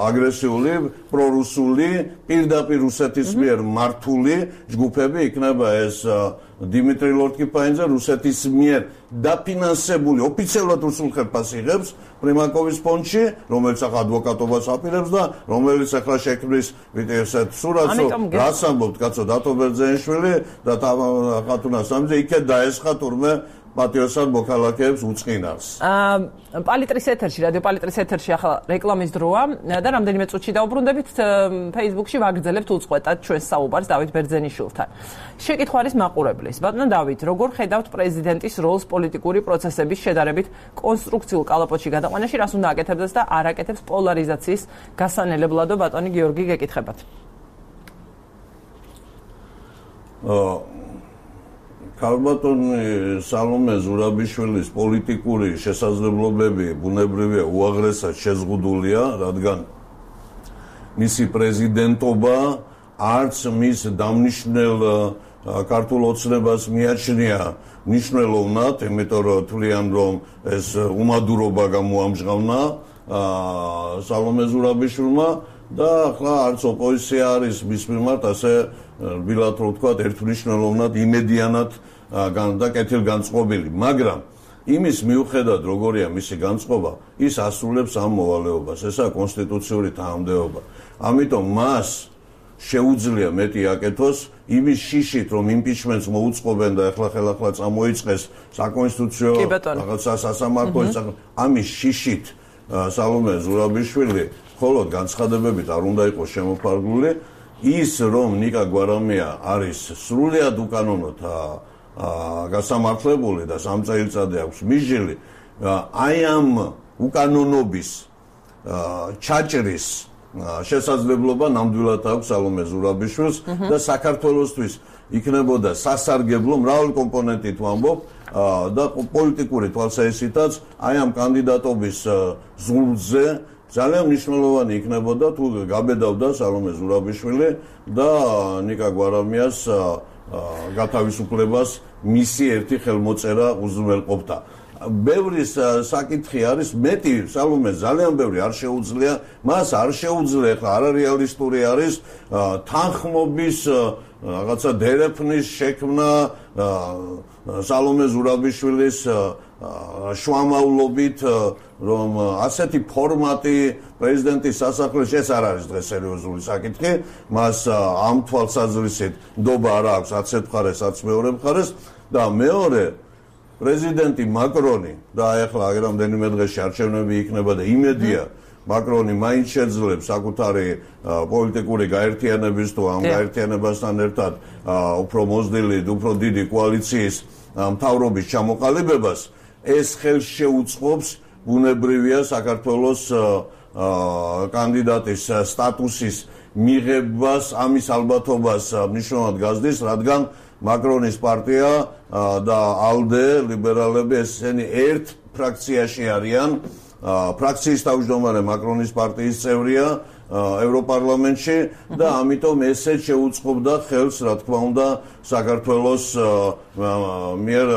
აგრესიული, პრორუსული, პირდაპირ რუსეთის მიერ მართული ჯგუფები იქნება ეს დიმიტრი ლორთქიფაინზე რუსეთის მიერ დაფინანსებული ოფიციალურად რუსულ ხელფასს იღებს პრიმაკოვის ფონდში, რომელიც ახლა ადვოკატობას აპირებს და რომელიც ახლა შექმნის ესეთ სურათს, რაც ამბობთ კაცო დათო ბერძენიშვილი და ხათუნა სამიძე იქეთ დაესხა თურმე პატიოსან მოქალაქეებს უწყინავს. პალიტრის ეთერში, რადიო პალიტრის ეთერში ახლა რეკლამის დროა და რამდენიმე წუთში დაუბრუნდებით Facebook-ში ვაგრძელებთ უწყვეტად ჩვენს საუბარს დავით ბერძენიშვილთან. შეკითხვა არის მაყურებლის. ბატონო დავით, როგორ ხედავთ პრეზიდენტის როლს პოლიტიკური პროცესების შედარებით კონსტრუქციულ კალაპოტში გადაყვანაში, რას უნდა აკეთებდეს და არ აკეთებს პოლარიზაციის გასანელებლადო ბატონი გიორგი გეკითხებათ. ქალბატონი სალომე ზურაბიშვილის პოლიტიკური შესაძლებლობები ბუნებრივია უაღრესად შეზღუდულია, რადგან მისი პრეზიდენტობა არც მის დამნიშნელ ქართულ ოცნებას მიაჩნია მნიშვნელოვნად, იმიტომ რომ თვლიან რომ ეს უმადურობა გამოამჟღავნა სალომე ზურაბიშვილმა და ახლა არც ოპოზიცია არის მის მიმართ ასე რბილად რო ვთქვათ ერთმნიშვნელოვნად იმედიანად და კეთილგანწყობილი, მაგრამ იმის მიუხედავად როგორია მისი განწყობა, ის ასრულებს ამ მოვალეობას, ესაა კონსტიტუციური თანამდებობა. ამიტომ მას შეუძლია მეტი აკეთოს იმის შიშით, რომ იმპიჩმენტს მოუწყობენ და ახლა წამოიწყეს საკონსტიტუციო რაღაცა სასამართლოს ამის შიშით სალომე ზურაბიშვილი მხოლოდ განცხადებებით არ უნდა იყოს შემოფარგლული. ის რომ ნიკა გვარამია არის სრულიად უკანონოდ გასამართლებული და 3 წელიწადი აქვს მისჯილი, აი ამ უკანონობის ჩაჭრის შესაძლებლობა ნამდვილად აქვს სალომე ზურაბიშვილს და საქართველოსთვის იქნებოდა სასარგებლო მრავალი კომპონენტით ვამბობ და პოლიტიკური თვალსაჩინოთაც აი ამ კანდიდატობის ზურგზე ძალიან მნიშვნელოვანი იქნებოდა თუ გაბედავდა სალომე ზურაბიშვილი და ნიკა გვარამიას გათავისუფლებას მისი ერთი ხელმოწერა უზრუნველყოფდა. ბევრი საკითხი არის მეტი სალომე ძალიან ბევრი არ შეუძლია მას არ შეუძლია ხა არარეალისტური არის თანხმობის რაღაცა დერეფნის შექმნა სალომე ზურაბიშვილის შუამავლობით რომ ასეთი ფორმატი პრეზიდენტის სასახლეში ეს არ არის დღეს სერიოზული საკითხი მას ამ თვალსაზრისით ნდობა არ აქვს აცეთ მხარეს აც მეორე მხარეს და მეორე პრეზიდენტი მაკრონი და ახლა რამდენიმე დღეში არჩევნები იქნება და იმედია მაკრონი მაინც შეძლებს საკუთარი პოლიტიკური გაერთიანების თუ ამ გაერთიანებასთან ერთად უფრო მოზრდილი, უფრო დიდი კოალიციის მთავრობის ჩამოყალიბებას ეს ხელს შეუწყობს ბუნებრივია საქართველოს კანდიდატის სტატუსის მიღებას ამის ალბათობას მნიშვნელოვნად გაზრდის, რადგან მაკრონის პარტია და ალდე ლიბერალები ესენი ერთ ფრაქციაში არიან ფრაქციის თავმჯდომარე მაკრონის პარტიის წევრია ევროპარლამენტში და ამიტომ ესე შეუწყობდა ხელს რა თქმა უნდა საქართველოს მიერ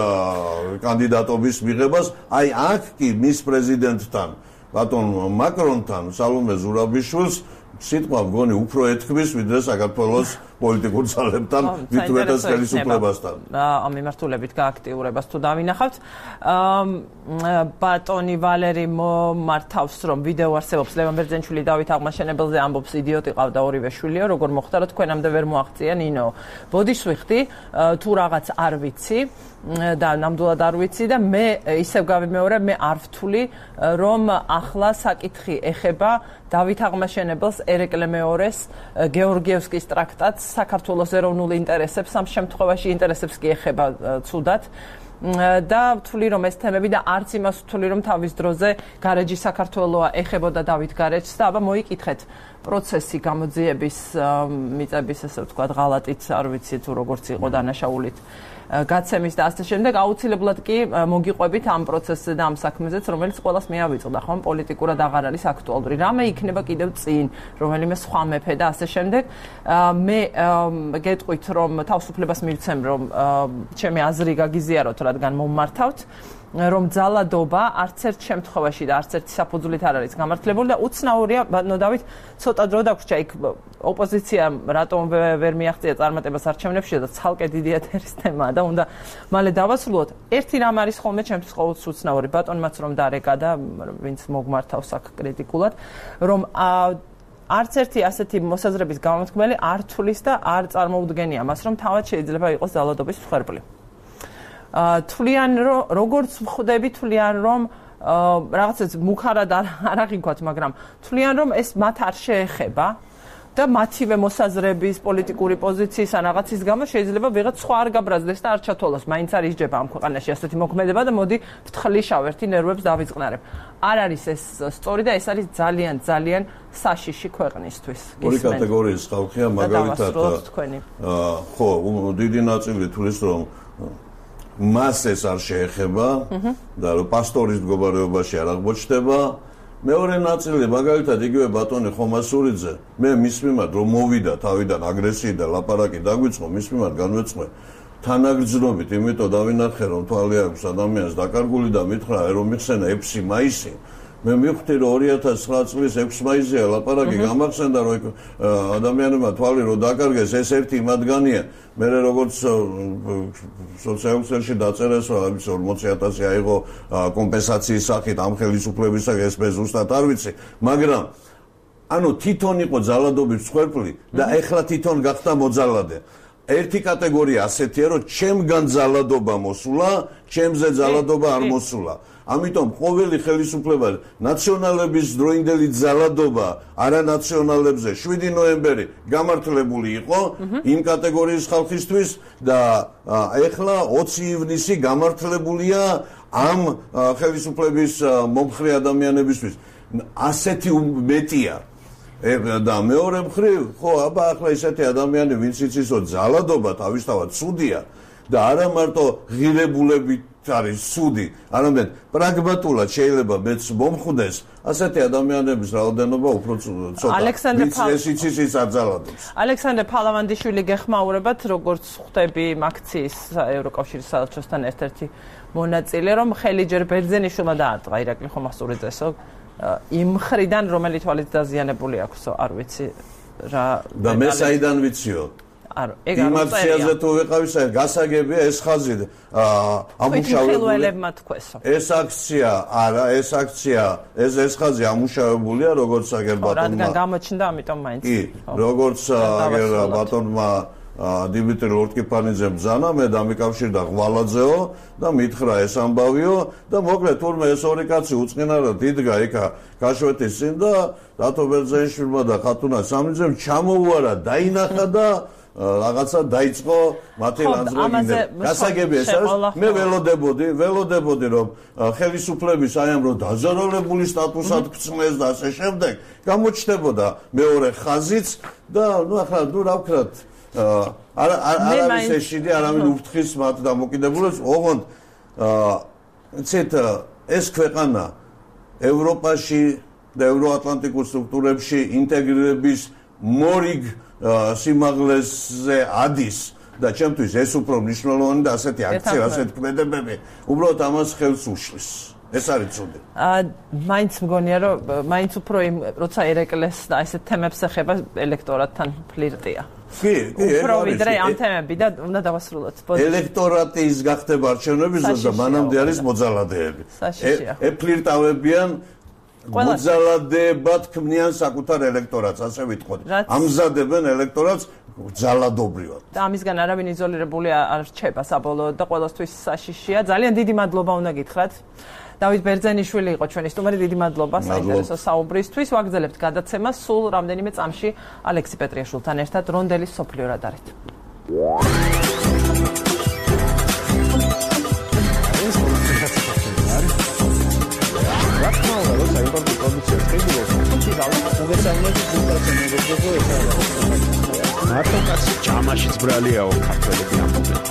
კანდიდატობის მიღებას აი აქ კი მის პრეზიდენტთან ბატონ მაკრონთან სალომე ზურაბიშვილს სიტყვა მგონი უფრო ეთქმის ვიდრე საქართველოს პოლიტიკურ ძალებთან მithumetas ხელისუფლებასთან. ამ მიმართულებით გააქტიურებას თუ დავინახავთ. ბატონი ვალერი მართავს რომ ვიდეო არსებობს ლევან ბერძენშვილი დავით აღმაშენებელზე ამბობს იდიოტი ყავდა ორივე შვილიო როგორ მოხდა რომ თქვენამდე ვერ მოაღწია ნინო. ბოდიშ ვიხდი თუ რაღაც არ ვიცი და ნამდვილად არ ვიცი და მე ისევ გავიმეორე მე არ ვთვლი რომ ახლა საკითხი ეხება დავით აღმაშენებელს ერეკლე მეორეს გეორგიევსკის ტრაქტატს საქართველოს ეროვნულ ინტერესებს ამ შემთხვევაში ინტერესებს კი ეხება ცუდად და ვთვლი რომ ეს თემები და არც იმას ვთვლი რომ თავის დროზე გარეჯი საქართველოა ეხებოდა დავით გარეჯს და აბა მოიკითხეთ პროცესი გამოძიების მიწების ესე ვთქვათ ღალატით არ ვიცი თუ როგორც იყო დანაშაულით გაცემის და ასე შემდეგ აუცილებლად კი მოგიყვებით ამ პროცესზე და ამ საქმეზეც რომელიც ყველას მიავიწყდა ხომ პოლიტიკურად აღარ არის აქტუალური რამე იქნება კიდევ წინ რომელიმე სხვა მეფე და ასე შემდეგ მე გეტყვით რომ თავისუფლებას მივცემ რომ ჩემი აზრი გაგიზიაროთ რადგან მომმართავთ რომ ძალადობა არც ერთ შემთხვევაში და არც ერთი საფუძვლით არ არის გამართლებული და უცნაურია ნოდავით ცოტა დრო დაგვრჩა იქ ოპოზიცია რატომ ვერ მიაღწია წარმატებას არჩევნებში და ცალკე დიდი ეთერის თემაა და უნდა მალე დავასრულოთ ერთი რამ არის ხოლმე ჩემთვის ყოველთვის უცნაური ბატონმაც რომ დარეკა და ვინც მოგმართავს აქ კრიტიკულად რომ არც ერთი ასეთი მოსაზრების გამომთქმელი არ თulis და არ წარმოუდგენია მას რომ თავად შეიძლება იყოს ძალადობის მსხვერპლი თვლიან რომ როგორც ვხვდები თვლიან რომ რაღაცას მუქარად არ აღიქვათ მაგრამ თვლიან რომ ეს მათ არ შეეხება და მათივე მოსაზრების პოლიტიკური პოზიციის ან რაღაცის გამო შეიძლება ვიღაც სხვა არ გაბრაზდეს და არ ჩათვალოს მაინც არ ისჯება ამ ქვეყანაში ასეთი მოქმედება და მოდი ვთხლიშავ ერთი ნერვებს დავიწყნარებ არ არის ეს სწორი და ეს არის ძალიან ძალიან საშიში ქვეყნისთვის ორი კატეგორიის ხალხია მაგალითად ხო დიდი ნაწილი თulis რომ მას ეს არ შეეხება და რომ პასტორის მდგომარეობაში არ აღმოჩნდება მეორე ნაწილი მაგალითად იგივე ბატონი ხომასურიძე მე მის მიმართ რომ მოვიდა თავიდან აგრესიით და ლაპარაკი დაგვიწყო მის მიმართ განვეცხვე თანაგრძნობით იმიტომ დავინახე რომ თვალი აქვს ადამიანს დაკარგული და მითხრა რომ მიხსენა 6 მაისი მე მივხვდი რომ 2009 წლის 6 მაისია ლაპარაკი გამახსენდა რომ ადამიანებმა თვალი რომ დაკარგეს ეს ერთი მათგანია მე როგორც სოციალურ დაწერეს რომ 40000 აიღო კომპენსაციის სახით ამ ხელისუფლებისაგან ეს მე ზუსტად არ ვიცი მაგრამ ანუ თვითონ იყო ძალადობის მსხვერპლი და ეხლა თვითონ გახდა მოძალადე ერთი კატეგორია ასეთია რომ ჩემგან ძალადობა მოსულა ჩემზე ძალადობა არ მოსულა ამიტომ ყოველი ხელისუფლება ნაციონალების დროინდელი ძალადობა არანაციონალებზე 7 ნოემბერი გამართლებული იყო იმ კატეგორიის ხალხისთვის და ეხლა 20 ივნისი გამართლებულია ამ ხელისუფლების მომხრე ადამიანებისთვის ასეთი მეტია. და მეორე მხრივ, ხო, აბა ახლა ისეთი ადამიანი, ვინც იცისო ძალადობა თავისთავად ცუდია და არა მარტო ღირებულებით არის ცუდი, არამედ პრაგმატულად შეიძლება მეც მომხვდეს ასეთი ადამიანების რაოდენობა უფრო ცოტა. ეს იცის აძალადებს. ალექსანდრე ფალავანდიშვილი გეხმაურებათ, როგორც ხვდები აქციის ევროკავშირის საელჩოსთან ერთ-ერთი მონაწილე, რომ ხელი ჯერ ბერძენიშვილმა დაარტყა ირაკლი ხომასურიძესო იმ მხრიდან, რომელი თვალით დაზიანებული აქვს, არ ვიცი რა. და მე საიდან ვიციო? იმ აქციაზე თუ ვიყავი, გასაგებია ეს ხაზი ამუშავებელმა თქვესო. ეს აქცია, არა, ეს ხაზი ამუშავებულია, როგორც აგერ ბატონმა. რადგან გამოჩნდა, ამიტომ მაინც. კი, როგორც აგერ ბატონმა დიმიტრი ლორტკიფანიძემ ბრძანა, მე დამიკავშირდა ღვალაძეო და მითხრა ეს ამბავიო და მოკლედ თურმე ეს ორი კაცი უწყინარად იდგა იქა გაშვეთის წინ და დათო ბერძენიშვილმა და ხათუნა სამნიძემ ჩამოუარა, დაინახა და რაღაცა დაიწყო მათი ლანძროგინდა. გასაგებია ეს არის. მე ველოდებოდი რომ ხელისუფლების აი ამ რო დაზარალებული სტატუსად გწმეს და ასე შემდეგ გამოჩნდებოდა მეორე ხაზიც და ახლა რა ვქრათ არის ეშიდი არავინ უფრთხის მათ დამოკიდებულებს ოღონდ ცეთ ეს ქვეყანა ევროპაში და ევროატლანტიკურ სტრუქტურებში ინტეგრირების მორიგ სიმაღლეზე ადის და ჩემთვის ეს უფრო მნიშვნელოვანი და ასეთი აქცია, ასეთი ქმედებები უბრალოდ ამას ხელს უშლის. ეს არის ცუდი. მაინც მგონია რომ მაინც უფრო იმ როცა ერეკლეს და ესეთ თემებს ეხება ელექტორატთან ფლირტია. კი, უფრო ვიდრე ამ თემები და უნდა დავასრულოთ. ელექტორატის გახდება არჩევნების დროს და მანამდე არის მოძალადეები. ფლირტავებიან მოძალადებად ქმნიან საკუთარ ელექტორატს, ასე ვიტყოდი. ამზადებენ ელექტორატს ძალადობრივად. და ამისგან არავინ იზოლირებული არ რჩება საბოლოოდ და ყველასთვის საშიშია. ძალიან დიდი მადლობა უნდა გითხრათ. დავით ბერძენიშვილი იყო ჩვენი სტუმარი, დიდი მადლობა საინტერესო საუბრისთვის. ვაგრძელებთ გადაცემას სულ რამდენიმე წამში ალექსი პეტრიაშვილთან ერთად რონდელის სოფლიო რადარით. მარტო კაცი ჯამაშიც ბრალიაო ქართველები ამბობენ.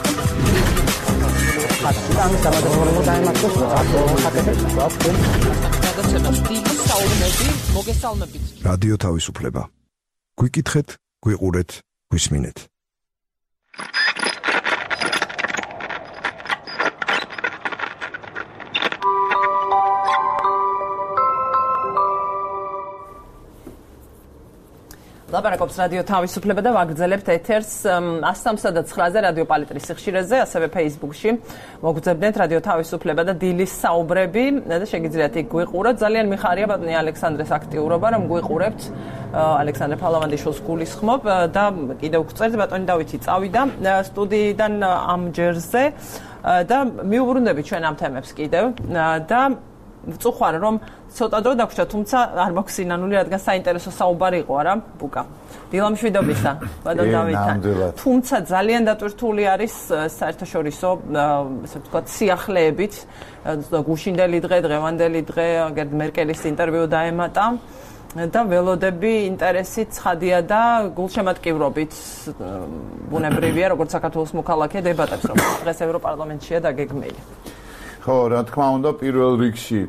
რადიო თავისუფლება. გვიკითხეთ, გვიყურეთ, გვისმინეთ. ლაპარაკობს რადიო თავისუფლება და ვაგრძელებთ ეთერს 103.9-ზე რადიო პალიტრის სიხშირეზე, ასევე Facebook-ში. მოგძებნეთ რადიო თავისუფლება და დილის საუბრები და შეგიძლიათ იქ გვიყუროთ. ძალიან მიხარია ბატონი ალექსანდრეს აქტიურობა, რომ გვიყურებთ. ალექსანდრე ფალავანდიშვილს გულისხმობ და კიდევ გვწერთ ბატონი დავითი წავიდა სტუდიიდან ამ ჯერზე და მიუბრუნდებით ჩვენ ამ თემებს კიდევ და ვწუხარ რომ ცოტა დრო დაგვრჩა, თუმცა არ მაქვს სინანული, რადგან საინტერესო საუბარი იყო, არა, ბუკა. დილამშვიდობისა, ბატონ დავითთან. თუმცა ძალიან დატვირთული არის საერთაშორისო, ასე ვთქვათ, სიახლეებით, გუშინდელი დღე, დღევანდელი დღე, აგერ მერკელის ინტერვიუ დაემატა და ველოდები ინტერესით ცხადია და გულშემატკივრობით ბუნებრივია, როგორც საქართველოს მოქალაქე დებატებს, რომ დღეს ევროპარლამენტშია დაგეგმილი. ხო, რა თქმა უნდა, პირველ რიგში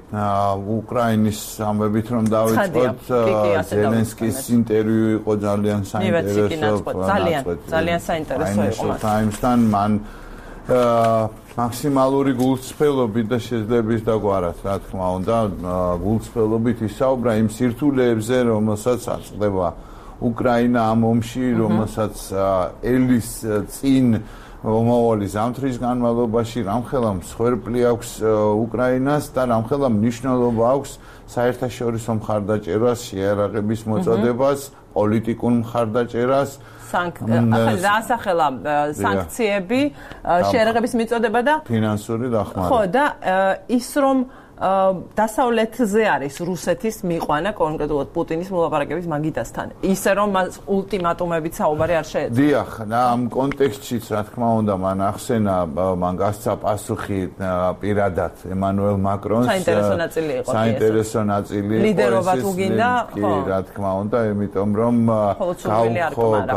უკრაინის ამბებით რომ დავიწყოთ, ზელენსკის ინტერვიუ იყო ძალიან საინტერესო. ძალიან საინტერესო იყო. Times-თან მან მაქსიმალური გულწრფელობით და შეძლების დაგვარად, რა თქმა უნდა, გულწრფელობით ისაუბრა იმ სირთულეებზე, რომელსაც აწყდება უკრაინა ამ ომში, რომელსაც ელის წინ მომავალი ზამთრის განმავლობაში რამხელა მსხვერპლი აქვს უკრაინას და რამხელა მნიშვნელობა აქვს საერთაშორისო მხარდაჭერას, შეიარაღების მოწოდებას, პოლიტიკურ მხარდაჭერას. დაასახელა სანქციები, შეიარაღების მიწოდება და ფინანსური დახმარება. ხო, და ის რომ დასავლეთზე არის რუსეთის მიყვანა კონკრეტულად პუტინის მოლაპარაკების მაგიდასთან. ისე რომ მას ულტიმატუმებით საუბარი არ შეეძლო. დიახ, ამ კონტექსტშიც რა თქმა უნდა მან ახსენა, მან გასცა პასუხი პირადად ემანუელ მაკრონს. საინტერესო ნაწილი იყო. საინტერესო ნაწილი იყო. ლიდერობა თუ გინდა, ხო, რა თქმა უნდა, იმიტომ რომ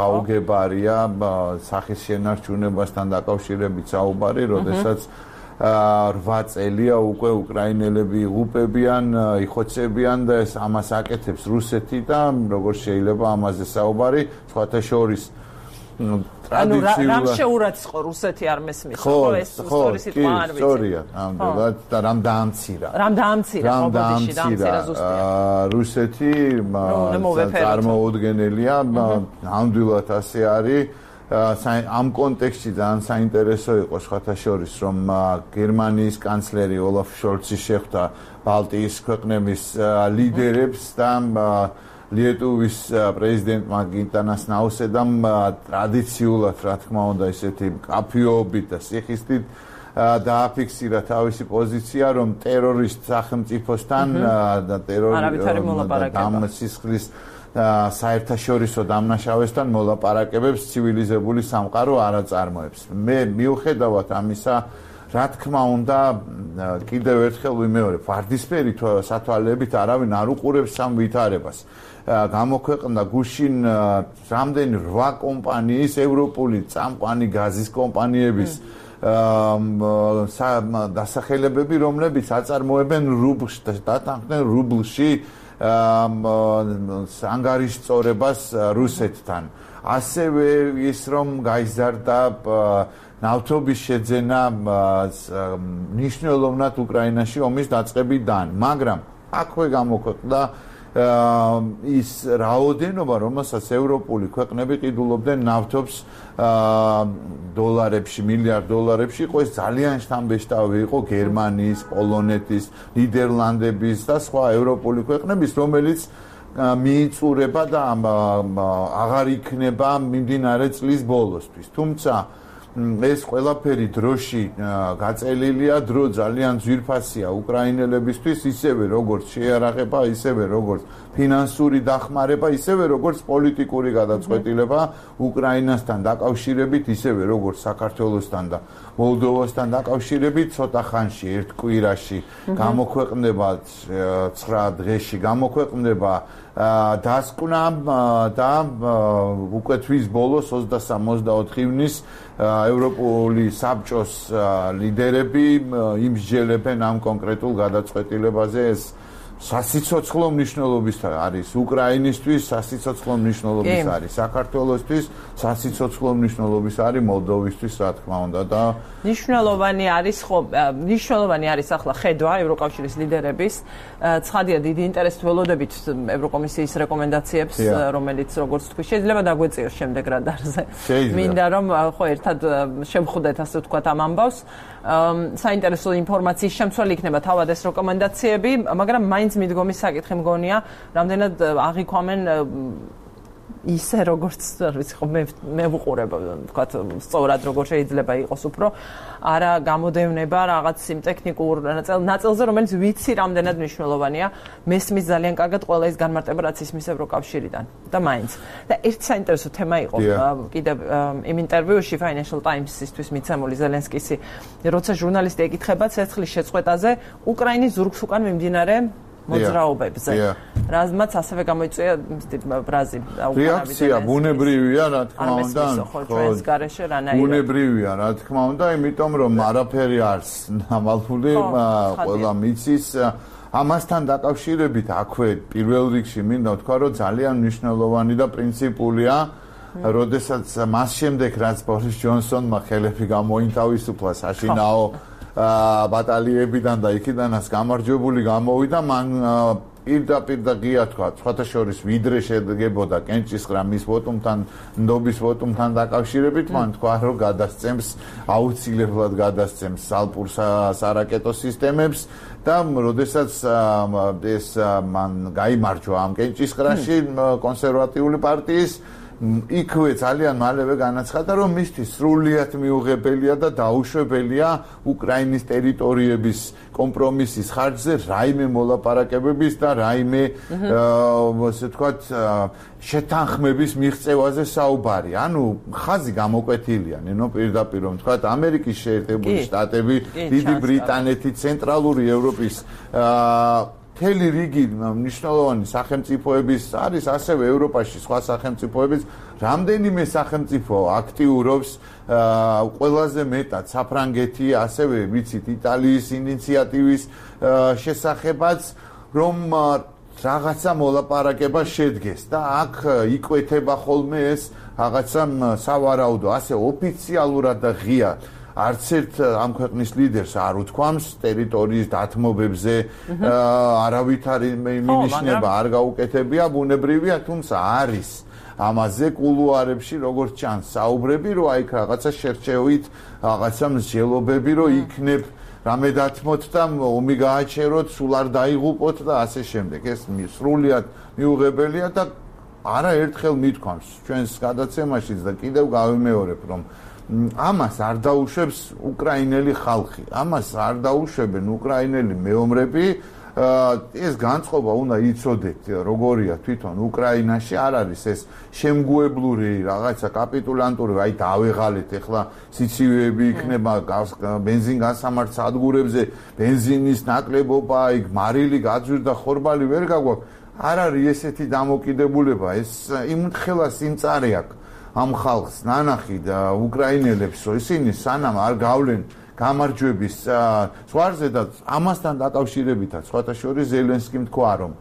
გაუგებარია სახის შენარჩუნებასთან დაკავშირებით საუბარი, როდესაც 8 წელია უკვე უკრაინელები იღუპებიან, იხოცებიან და ეს ამას აკეთებს რუსეთი და როგორ შეიძლება ამაზე საუბარი, სხვათა შორის ტრადიციულად რამ შეურაცხ იყო რუსეთი არ მესმის, ხო, ეს სწორი სიტყვა არ ვიცი. სწორია, ნამდვილად და რამ დაამცირა. რამ დაამცირა ზუსტია. რუსეთი წარმოუდგენელია, ნამდვილად ასე არის. ამ კონტექსტში ძალიან საინტერესო იყო სხვათა შორის, რომ გერმანიის კანცლერი ოლაფ შოლცი შეხვდა ბალტიის ქვეყნების ლიდერებს და ლიეტუვის პრეზიდენტმა გიტანას ნაუსედამ ტრადიციულად, რა თქმა უნდა, ისეთი კაფეობით და სიხისტით დააფიქსირა თავისი პოზიცია, რომ ტერორისტ სახელმწიფოსთან და ტერორისტის საერთაშორისო დამნაშავესთან მოლაპარაკებებს ცივილიზებული სამყარო არ აწარმოებს. მე მიუხედავად ამისა, რა თქმა უნდა, კიდევ ერთხელ ვიმეორებ, ვარდისფერი სათვალეებით არავინ არ უყურებს ამ ვითარებას. გამოქვეყნდა გუშინ რამდენი 8 კომპანიის, ევროპული წამყვანი გაზის კომპანიების დასახელებები, რომლებიც აწარმოებენ რუბლს და დათანხმდნენ რუბლში ანგარიშწორებას რუსეთთან. ასევე ის რომ გაიზარდა ნავთობის შეძენა მნიშვნელოვნად უკრაინაში ომის დაწყებიდან, მაგრამ აქვე გამოქვეყნდა ის რაოდენობა, რომელსაც ევროპული ქვეყნები ყიდულობდნენ ნავთობს დოლარებში, მილიარდ დოლარებში, იყო ეს ძალიან შთამბეჭდავი იყო გერმანიის, პოლონეთის, ნიდერლანდების და სხვა ევროპული ქვეყნების, რომელიც მიიწურება და აღარ იქნება მიმდინარე წლის ბოლოსთვის. თუმცა ეს ყველაფერი დროში გაწელილია, დრო ძალიან ძვირფასია უკრაინელებისთვის, ისევე როგორც შეიარაღება, ისევე როგორც ფინანსური დახმარება, ისევე როგორც პოლიტიკური გადაწყვეტილება უკრაინასთან დაკავშირებით, ისევე როგორც საქართველოსთან და მოლდოვასთან დაკავშირებით, ცოტა ხანში, ერთ კვირაში გამოქვეყნდება 9 დღეში გამოქვეყნდება დასკვნა და უკვე თვის ბოლოს 23-24 ივნის ევროპული საბჭოს ლიდერები იმსჯელებენ ამ კონკრეტულ გადაწყვეტილებაზე. ეს სასიცოცხლო მნიშვნელობის არის უკრაინისთვის, სასიცოცხლო მნიშვნელობის არის საქართველოსთვის, სასიცოცხლო მნიშვნელობის არის მოლდოვისთვის, რა თქმა უნდა და მნიშვნელოვანი არის ახლა ხედვა ევროკავშირის ლიდერების. ცხადია, დიდი ინტერესით ველოდებით ევროკომისიის რეკომენდაციებს, რომელიც როგორც თქვი, შეიძლება დაგვეწიოს შემდეგ რადარზე. მინდა რომ ხო ერთად შევხვდეთ, ასე ვთქვათ, ამ ამბავს. საინტერესო ინფორმაციის შემცველი იქნება თავად ეს რეკომენდაციები, მაგრამ მაინც მიდგომის საკითხი მგონია, რამდენად აღიქვამენ ისე როგორც ვიცი ხო მე ვუყურებ ვთქვათ სწორად როგორ შეიძლება იყოს უფრო არა გამოდევნება რაღაც იმ ტექნიკურ ნაწილზე რომელიც ვიცი რამდენად მნიშვნელოვანია მესმის ძალიან კარგად ყველა ის განმარტება რაც ისმის ევროკავშირიდან და მაინც და ერთი საინტერესო თემა იყო კიდევ იმ ინტერვიუში Financial Times-ისთვის მიცემული ზელენსკისი როცა ჟურნალისტი ეკითხება ცეცხლის შეწყვეტაზე უკრაინის ზურგს უკან მიმდინარე მოძრაობებზე. რაზმაც ასევე გამოიწვია ბრაზი რეაქცია ბუნებრივია, რა თქმა უნდა. ბუნებრივია, რა თქმა უნდა, იმიტომ რომ არაფერი არს ნამალფული, ყველა მიცის ამასთან დაკავშირებით აქვე პირველ რიგში მინდა ვთქვა, რომ ძალიან მნიშვნელოვანი და პრინციპულია, როდესაც მას შემდეგ რაც ბორის ჯონსონმა ხელები გამოინთავისუფლა საშინაო ბატალიებიდან და იქიდანაც გამარჯვებული გამოვიდა მან პირდაპირ და ღია თქვა სხვათა შორის ვიდრე შედგებოდა კენჭისყრა მის ვოტუმთან ნდობის ვოტუმთან დაკავშირებით მან თქვა რომ გადასცემს აუცილებლად გადასცემს ალპურ სარაკეტო სისტემებს და როდესაც ეს მან გაიმარჯვა ამ კენჭისყრაში კონსერვატიული პარტიის იქვე ძალიან მალევე განაცხადა, რომ მისთვის სრულიად მიუღებელია და დაუშვებელია უკრაინის ტერიტორიების კომპრომისის ხარჯზე რაიმე მოლაპარაკებების და რაიმე ასე ვთქვათ შეთანხმების მიღწევაზე საუბარი. ანუ ხაზი გამოკვეთილია, ნინო პირდაპირ რომ ვთქვათ, ამერიკის შეერთებული შტატები, დიდი ბრიტანეთი, ცენტრალური ევროპის მთელი რიგი მნიშვნელოვანი სახელმწიფოების არის ასევე ევროპაში სხვა სახელმწიფოების რამდენიმე სახელმწიფო აქტიურობს ყველაზე მეტად საფრანგეთი ასევე ვიცით იტალიის ინიციატივის შესახებაც რომ რაღაცა მოლაპარაკება შედგეს და აქ იკვეთება ხოლმე ეს რაღაცა სავარაუდო ასე ოფიციალურად და ღია არც ერთ ამ ქვეყნის ლიდერს არ უთქვამს ტერიტორიის დათმობებზე არავით არ მინიშნება არ გაუკეთებია ბუნებრივია თუმცა არის ამაზე კულუარებში როგორც ჩანს საუბრები რომ აი რაღაცა შერჩევით რაღაცა მსჯელობები რომ იქნებ რამე დათმოთ და ომი გააჩეროთ სულ არ დაიღუპოთ და ასე შემდეგ ეს სრულიად მიუღებელია და არაერთხელ მithქვამს ჩვენს გადაცემაშიც და კიდევ გავიმეორებ რომ ამას არ დაუშვებს უკრაინელი ხალხი ამას არ დაუშვებენ უკრაინელი მეომრები ეს განწყობა უნდა იცოდეთ როგორია თვითონ უკრაინაში არ არის ეს შემგუებლური რაღაცა კაპიტულანტური აი დავეღალეთ ეხლა სიცივეები იქნება ბენზინგასამართ სადგურებზე ბენზინის ნაკლებობა აი მარილი გაძვირდა ხორბალი ვერ გაგვაქვს არ არის ესეთი დამოკიდებულება ეს იმთხელა სიმწარე აქვს ამ ხალხს ნანახი და უკრაინელებს რომ ისინი სანამ არ გავლენ გამარჯვების ზღვარზე და ამასთან დაკავშირებითაც სხვათა შორის ზელენსკიმ თქვა რომ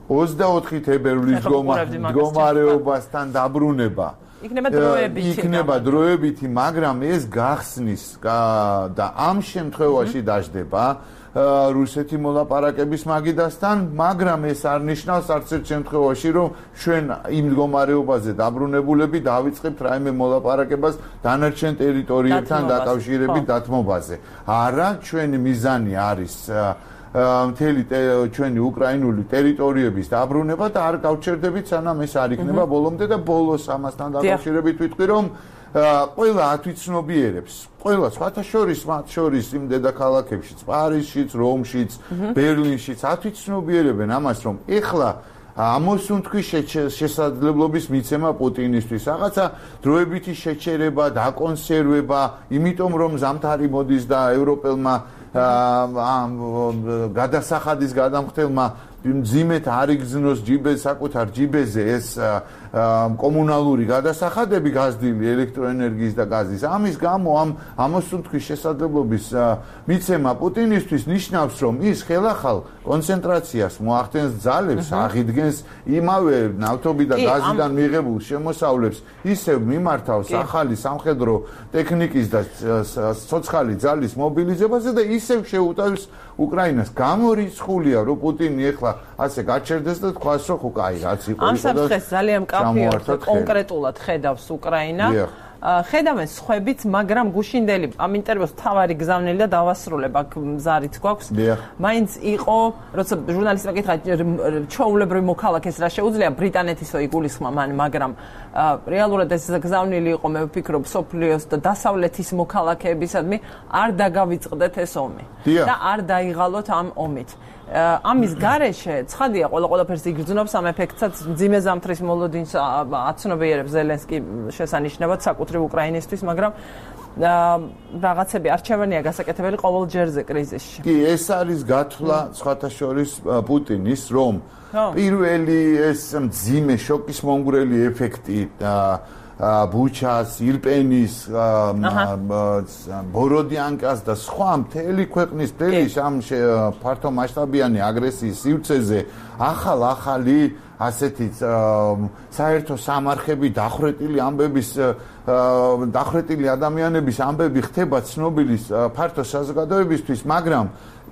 24 თებერვლის მდგომარეობასთან დაბრუნება იქნება დროებითი მაგრამ ეს გახსნის და ამ შემთხვევაში დაждდება რუსეთი მოლაპარაკების მაგიდასთან, მაგრამ ეს არ ნიშნავს არც ერთ შემთხვევაში, რომ ჩვენ იმ მდგომარეობაზე დაბრუნებულები დავიწყებთ რაიმე მოლაპარაკებას დანარჩენ ტერიტორიებთან დაკავშირებით დათმობაზე. არა, ჩვენი მიზანი არის მთელი ჩვენი უკრაინული ტერიტორიების დაბრუნება და არ გავჩერდებით სანამ ეს არ იქნება ბოლომდე და ბოლოს ამასთან დაკავშირებით ვიტყვი, რომ ყველა ათვიცნობიერებს, ყველა სხვათა შორის, მათ შორის იმ დედაქალაქებშიც, პარიზშიც, რომშიც, ბერლინშიც ათვიცნობიერებენ ამას, რომ ეხლა ამოსუნთქვის შესაძლებლობის მიცემა პუტინისთვის, რაღაცა დროებითი შეჩერება, დაკონსერვება, იმიტომ რომ ზამთარი მოდის და ევროპელმა გადასახადის გადამხდელმა მძიმედ არ იგზნოს საკუთარ ჯიბეზე ეს კომუნალური გადასახადები გაზრდილი ელექტროენერგიის და გაზის. ამის გამო ამ ამოსუნთქვის შესაძლებლობის მიცემა პუტინისთვის ნიშნავს, რომ ის ხელახალ კონცენტრაციას მოახდენს ძალებს, აღიდგენს იმავე ნავთობი და გაზიდან მიღებულ შემოსავლებს, ისევ მიმართავს ახალი სამხედრო ტექნიკის და ცოცხალი ძალის მობილიზებაზე და ისევ შეუტევს უკრაინას. გამორიცხულია, რომ პუტინი ეხლა ასე გაჩერდეს და თქვას, რომ ხო, კაი, რაც იყო ამ საფრთხეს ძალიან მკაფიოდ კონკრეტულად ხედავს უკრაინა. ხედავენ სხვებიც, მაგრამ გუშინდელი ამ ინტერვიუს თავარი გზავნილი და დავასრულებ აქ მზარიც გვაქვს. მაინც იყო, როცა ჟურნალისტმა კითხა, ჩვეულებრივ მოქალაქეს რა შეუძლია ბრიტანეთისო იგულისხმა მან, მაგრამ რეალურად ეს გზავნილი იყო, მე ვფიქრობ, სოფლიოს და დასავლეთის მოქალაქეებისადმი არ დაგავიწყდეთ ეს ომი და არ დაიღალოთ ამ ომით. ამის გარეშე ცხადია ყველაფერს იგრძნობს ამ ეფექტსაც მძიმე ზამთრის მოლოდინს აცნობიერებს ზელენსკი შესანიშნავად საკუთრივ უკრაინისთვის, მაგრამ რაღაცები არჩევანია გასაკეთებელი ყოველ ჯერზე კრიზისში. კი, ეს არის გათვლა სხვათა შორის პუტინის, რომ პირველი ეს მძიმე შოკის მომგვრელი ეფექტი ბუჩას, ირპენის, ბოროდიანკას და სხვა მთელი ქვეყნის მთელი ამ ფართო მასშტაბიანი აგრესიის სივრცეზე ახალი ასეთი საერთო სამარხები დახრეტილი ადამიანების ამბები ხდება ცნობილი ფართო საზოგადოებისთვის, მაგრამ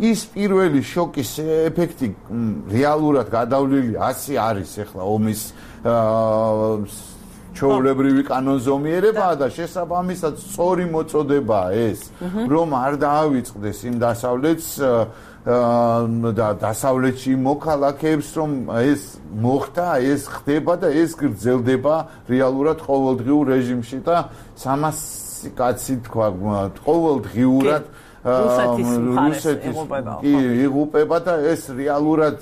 ის პირველი შოკის ეფექტი რეალურად გადავლილი 100 არის ახლა ომის ჩვეულებრივი კანონზომიერებაა და შესაბამისად სწორი მოწოდებაა ეს, რომ არ დაავიწყდეს იმ დასავლეთს და დასავლეთში მოქალაქეებს, რომ ეს მოხდა, ეს ხდება და ეს გრძელდება რეალურად ყოველდღიურ რეჟიმში და 300 კაცი თქვა ყოველდღიურად რუსეთის იღუპება და ეს რეალურად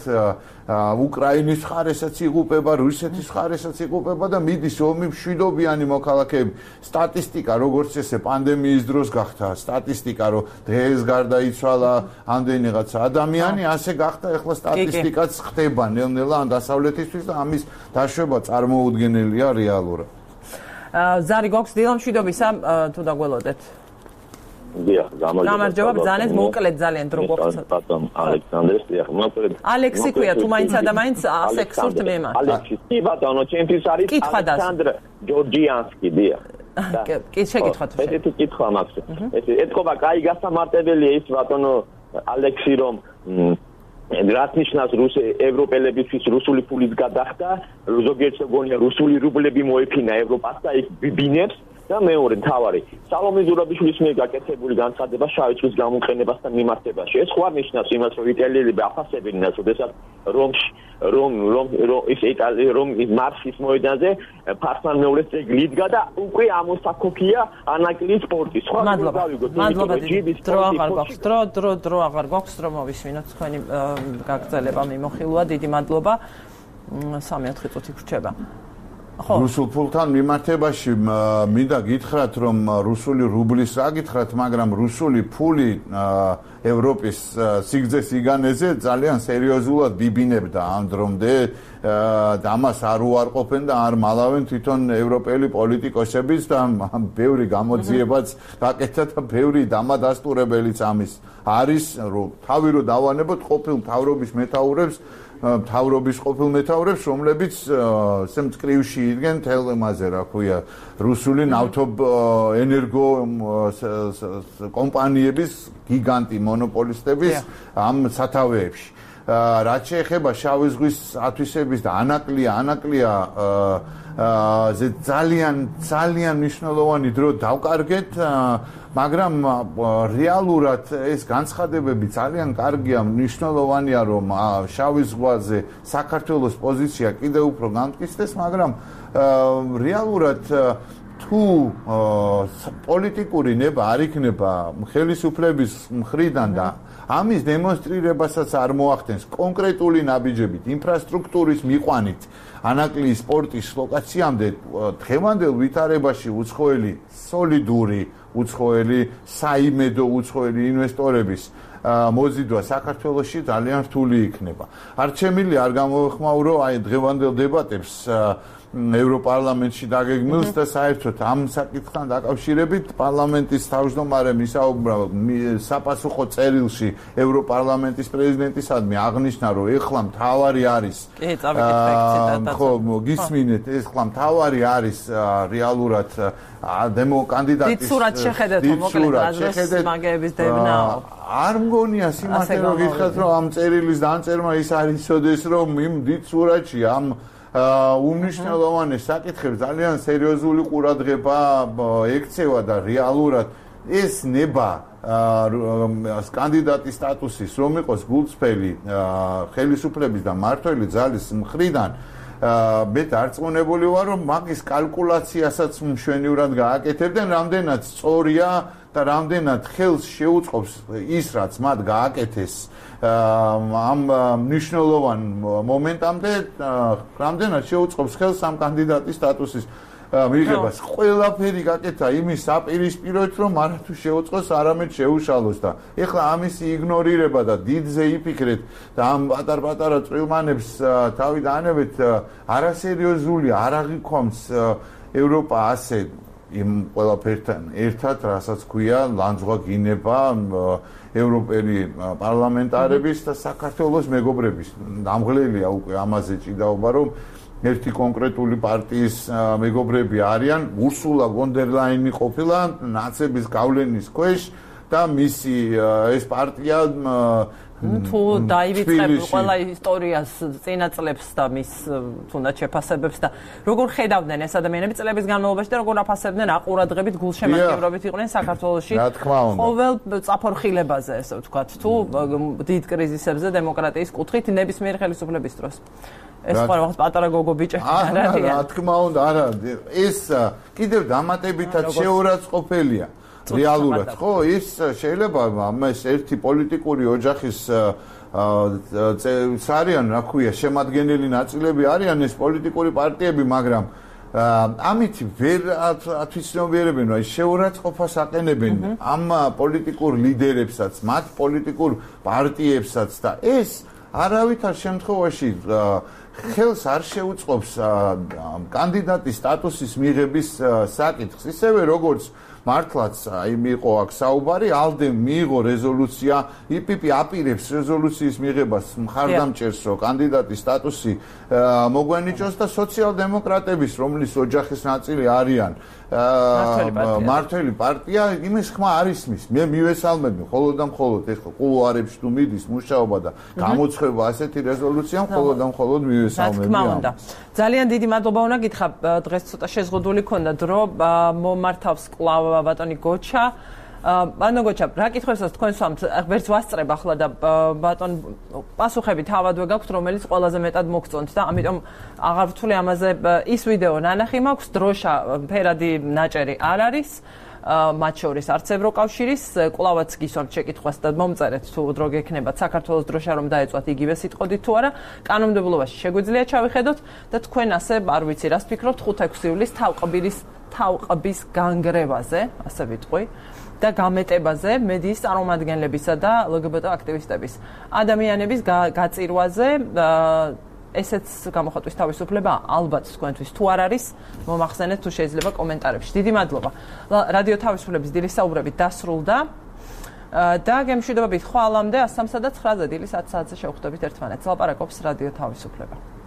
უკრაინის ხარესაც იღუპება, რუსეთის ხარესაც იღუპება და მიდის ომი მშვიდობიანი მოქალაქეები. სტატისტიკა როგორც ესე პანდემიის დროს გახდა, სტატისტიკა რომ დღეს გარდაიცვალა ამდენი რაღაცა ადამიანი, ასე გახდა ეხლა სტატისტიკაც ხდება ნელ-ნელა ან დასავლეთისთვის და ამის დაშვება წარმოუდგენელია რეალურად. ზარი გვაქვს დილა მშვიდობისა, თუ დაგველოდეთ. დიახ, გამარჯობა, ბრძანეთ, მოკლედ ძალიან დრო გვაქვს. ბატონ ალექსანდრეს, დიახ, მოკლედ. ალექსი ქვია, თუ მაინცა და მაინც ასე გსურთ მე მას. ალექსი, კი ბატონო, ჩემთვის არის ალექსანდრ ჯორჯიანსკი, დიახ. კი, შეკითხვა თუ შეიძლება. ესეთი კითხვა მაქვს. ეთქობა, კაი გასამარტებელია ის ბატონო ალექსი, რომ რაც ნიშნავს ევროპელებისთვის რუსული ფულის გადახდა, ზოგიერთს გონია რუსული რუბლები მოეფინა ევროპას და იქ ბინებს და მეორე თავარი სალომე ზურაბიშვილის მიერ გაკეთებული განცხადება შავი ზღვის გამოყენებასთან მიმართებაში. ეს ხო არ ნიშნავს იმას, რომ იტალიელები აფასებინას, როდესაც რომ მარსის მოედანზე ფარსმან მეუღლის ძეგლი იდგა და უკვე ამოსაქოქია ანაკლის სპორტი. სხვა მადლობა, დრო აღარ გვაქვს, დრო აღარ გვაქვს, რომ მოვისმინოთ თქვენი გაგრძელება მიმოხილვა. დიდი მადლობა. 3-4 წუთი გრჩება. რუსულ ფულთან მიმართებაში მინდა გითხრათ, რომ რუსული რუბლის რა გითხრათ, მაგრამ რუსული ფული ევროპის სიგრძეს იგანეზე ძალიან სერიოზულად ბიბინებდა ამ დრომდე და ამას არ უარყოფენ და არ მალავენ თვითონ ევროპელი პოლიტიკოსებიც და ბევრი გამოძიებაც გაკეთა და ბევრი დამადასტურებელიც ამის არის, რომ თავი რო დავანებოთ ყოფილ მთავრობის მეთაურებს მთავრობის ყოფილ მეთაურებს, რომლებიც მწკრივში იდგენ თელემაზე, რა ქვია, რუსული ნავთობენერგო კომპანიების გიგანტი მონოპოლისტების ამ სათავეებში. რაც შეეხება შავი ზღვის ათვისების და ანაკლია ძალიან მნიშვნელოვანი დრო დავკარგეთ, მაგრამ რეალურად ეს განცხადებები ძალიან კარგია, მნიშვნელოვანია, რომ შავი ზღვაზე საქართველოს პოზიცია კიდევ უფრო გამტკიცდეს, მაგრამ რეალურად თუ პოლიტიკური ნება არ იქნება ხელისუფლების მხრიდან და ამის დემონსტრირებასაც არ მოახდენს კონკრეტული ნაბიჯებით, ინფრასტრუქტურის მიყვანით, ანაკლიის სპორტის ლოკაციამდე დღევანდელ ვითარებაში უცხოელი სოლიდური უცხოელი საიმედო უცხოელი ინვესტორების მოზიდვა საქართველოში ძალიან რთული იქნება. არჩემილი არ გამოვეხმაურო აი დღევანდელ დებატებს ევროპარლამენტში დაგეგმილს და საერთოდ ამ საკითხთან დაკავშირებით პარლამენტის თავმჯდომარემ ისაუბრა საპასუხო წერილში ევროპარლამენტის პრეზიდენტისადმი აღნიშნა, რომ ეხლა მთავარი არის ხო გისმინეთ, ეხლა მთავარი არის რეალურად კანდიდატის დიცურად შეხედეთ, მოკლედ რაზეც მაგების დევნაო. არ მგონია სიმართლე რომ გითხრათ, რომ ამ წერილის დამწერმა ის არ იცოდეს, რომ იმ დიცურადში ამ უმნიშვნელოვანეს საკითხებს ძალიან სერიოზული ყურადღება ექცევა და რეალურად ეს ნება კანდიდატის სტატუსის რომ იყოს გულწრფელი ხელისუფლების და მმართველი ძალის მხრიდან მე დარწმუნებული ვარ, რომ მაგის კალკულაციასაც მშვენივრად გააკეთებდნენ, რამდენად სწორია და რამდენად ხელს შეუწყობს ის, რაც მათ გააკეთეს ამ მნიშვნელოვან მომენტამდე, რამდენად შეუწყობს ხელს ამ კანდიდატის სტატუსის მიღებას. ყველაფერი გაკეთა იმის საპირისპიროით, რომ არათუ შეუწყოს, არამედ შეუშალოს და ეხლა ამისი იგნორირება და დიდზე იფიქრეთ და ამ პატარ-პატარა წვრილმანებს თავი დაანებეთ არასერიოზულია, არ აღიქვამს ევროპა ასე იმ ყველაფერთან ერთად, რასაც ქვია ლანძღვა გინება ევროპელი პარლამენტარების და საქართველოს მეგობრების. დამღლელია უკვე ამაზე ჭიდაობა, რომ ერთი კონკრეტული პარტიის მეგობრები არიან, ურსულა ვონ დერ ლაინი ყოფილა ნაცების გავლენის ქვეშ და მისი ეს პარტია თუ დაივიწყებ ყველა ისტორიას წინაწლებს და მის თუნდაც შეფასებებს და როგორ ხედავდნენ ეს ადამიანები წლების განმავლობაში და როგორ აფასებდნენ აყურადღებით გულშემატკივრობით იყვნენ საქართველოში ყოველ წაფორხილებაზე ესე ვთქვათ თუ დიდ კრიზისებზე დემოკრატიის კუთხით ნებისმიერ ხელისუფლების დროს ეს ყოველთვის პატარა გოგო ბიჭები არ არიან რა თქმა უნდა არა ეს კიდევ დამატებითად შეურაცხყოფელია რეალურად ხო ის შეიძლება ამას ერთი პოლიტიკური ოჯახის არიან რა ქვია შემადგენელი ნაწილები არიან ეს პოლიტიკური პარტიები მაგრამ ამით ვერ ათვისნობიერებენ აი შეურაცხყოფას აყენებენ ამ პოლიტიკურ ლიდერებსაც მათ პოლიტიკურ პარტიებსაც და ეს არავითარ შემთხვევაში ხელს არ შეუწყობს კანდიდატის სტატუსის მიღების საკითხს ისევე როგორც მართლაც აი მიიღო აქ საუბარი ალდემ მიიღო რეზოლუცია იპიპი აპირებს რეზოლუციის მიღებას მხარდამჭერს რომ კანდიდატის სტატუსი მოგვენიჭოს და სოციალ-დემოკრატების რომლის ოჯახის ნაწილი არიან მართველი პარტია იმის ხმა არ ისმის მე მივესალმები მხოლოდ და მხოლოდ ეხლა კულუარებში თუ მიდის მუშაობა და გამოცხება ასეთი რეზოლუცია მხოლოდ და მხოლოდ მივესალმები ძალიან დიდი მადლობა უნდა გითხრა დღეს ცოტა შეზღუდული ქონდა დრო მომართავს კლავ ბატონი გოჩა ბატონ გოჩა რა კითხვებსაც თქვენ სვამთ ვერც ვასწრებ ახლა და ბატონ პასუხები თავადვე გაქვთ რომელიც ყველაზე მეტად მოგწონთ და ამიტომ აღარ ვთვლი ამაზე ის ვიდეო ნანახი მაქვს დროშა ფერადი ნაჭერი არ არის მათ შორის არც ევროკავშირის კლავაც გისვამთ შეკითხვას და მომწერეთ თუ დრო გექნებათ საქართველოს დროშა რომ დაეწვათ იგივე სიტყვით თუ არა კანონმდებლობაში შეგვიძლია ჩავიხედოთ და თქვენ ასე არ ვიცი რას ფიქრობთ 5-6 ივლისს თავყბის განგრევაზე ასე ვიტყვი და გამეტებაზე მედიის წარმომადგენლებისა და LGBT აქტივისტების ადამიანების გაწირვაზე ესეც გამოხატვის თავისუფლება ალბათ თქვენთვის თუ არ არის მომახსენეთ თუ შეიძლება კომენტარებში დიდი მადლობა რადიო თავისუფლების დილის საუბრებით დასრულდა და გემშვიდობებით ხვალამდე 103 და 9 დილის 10 საათზე შევხვდებით ერთმანეთს ლაპარაკობს რადიო თავისუფლება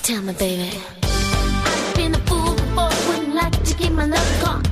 Tell me, baby. I've been a fool before, wouldn't like to keep my love caught.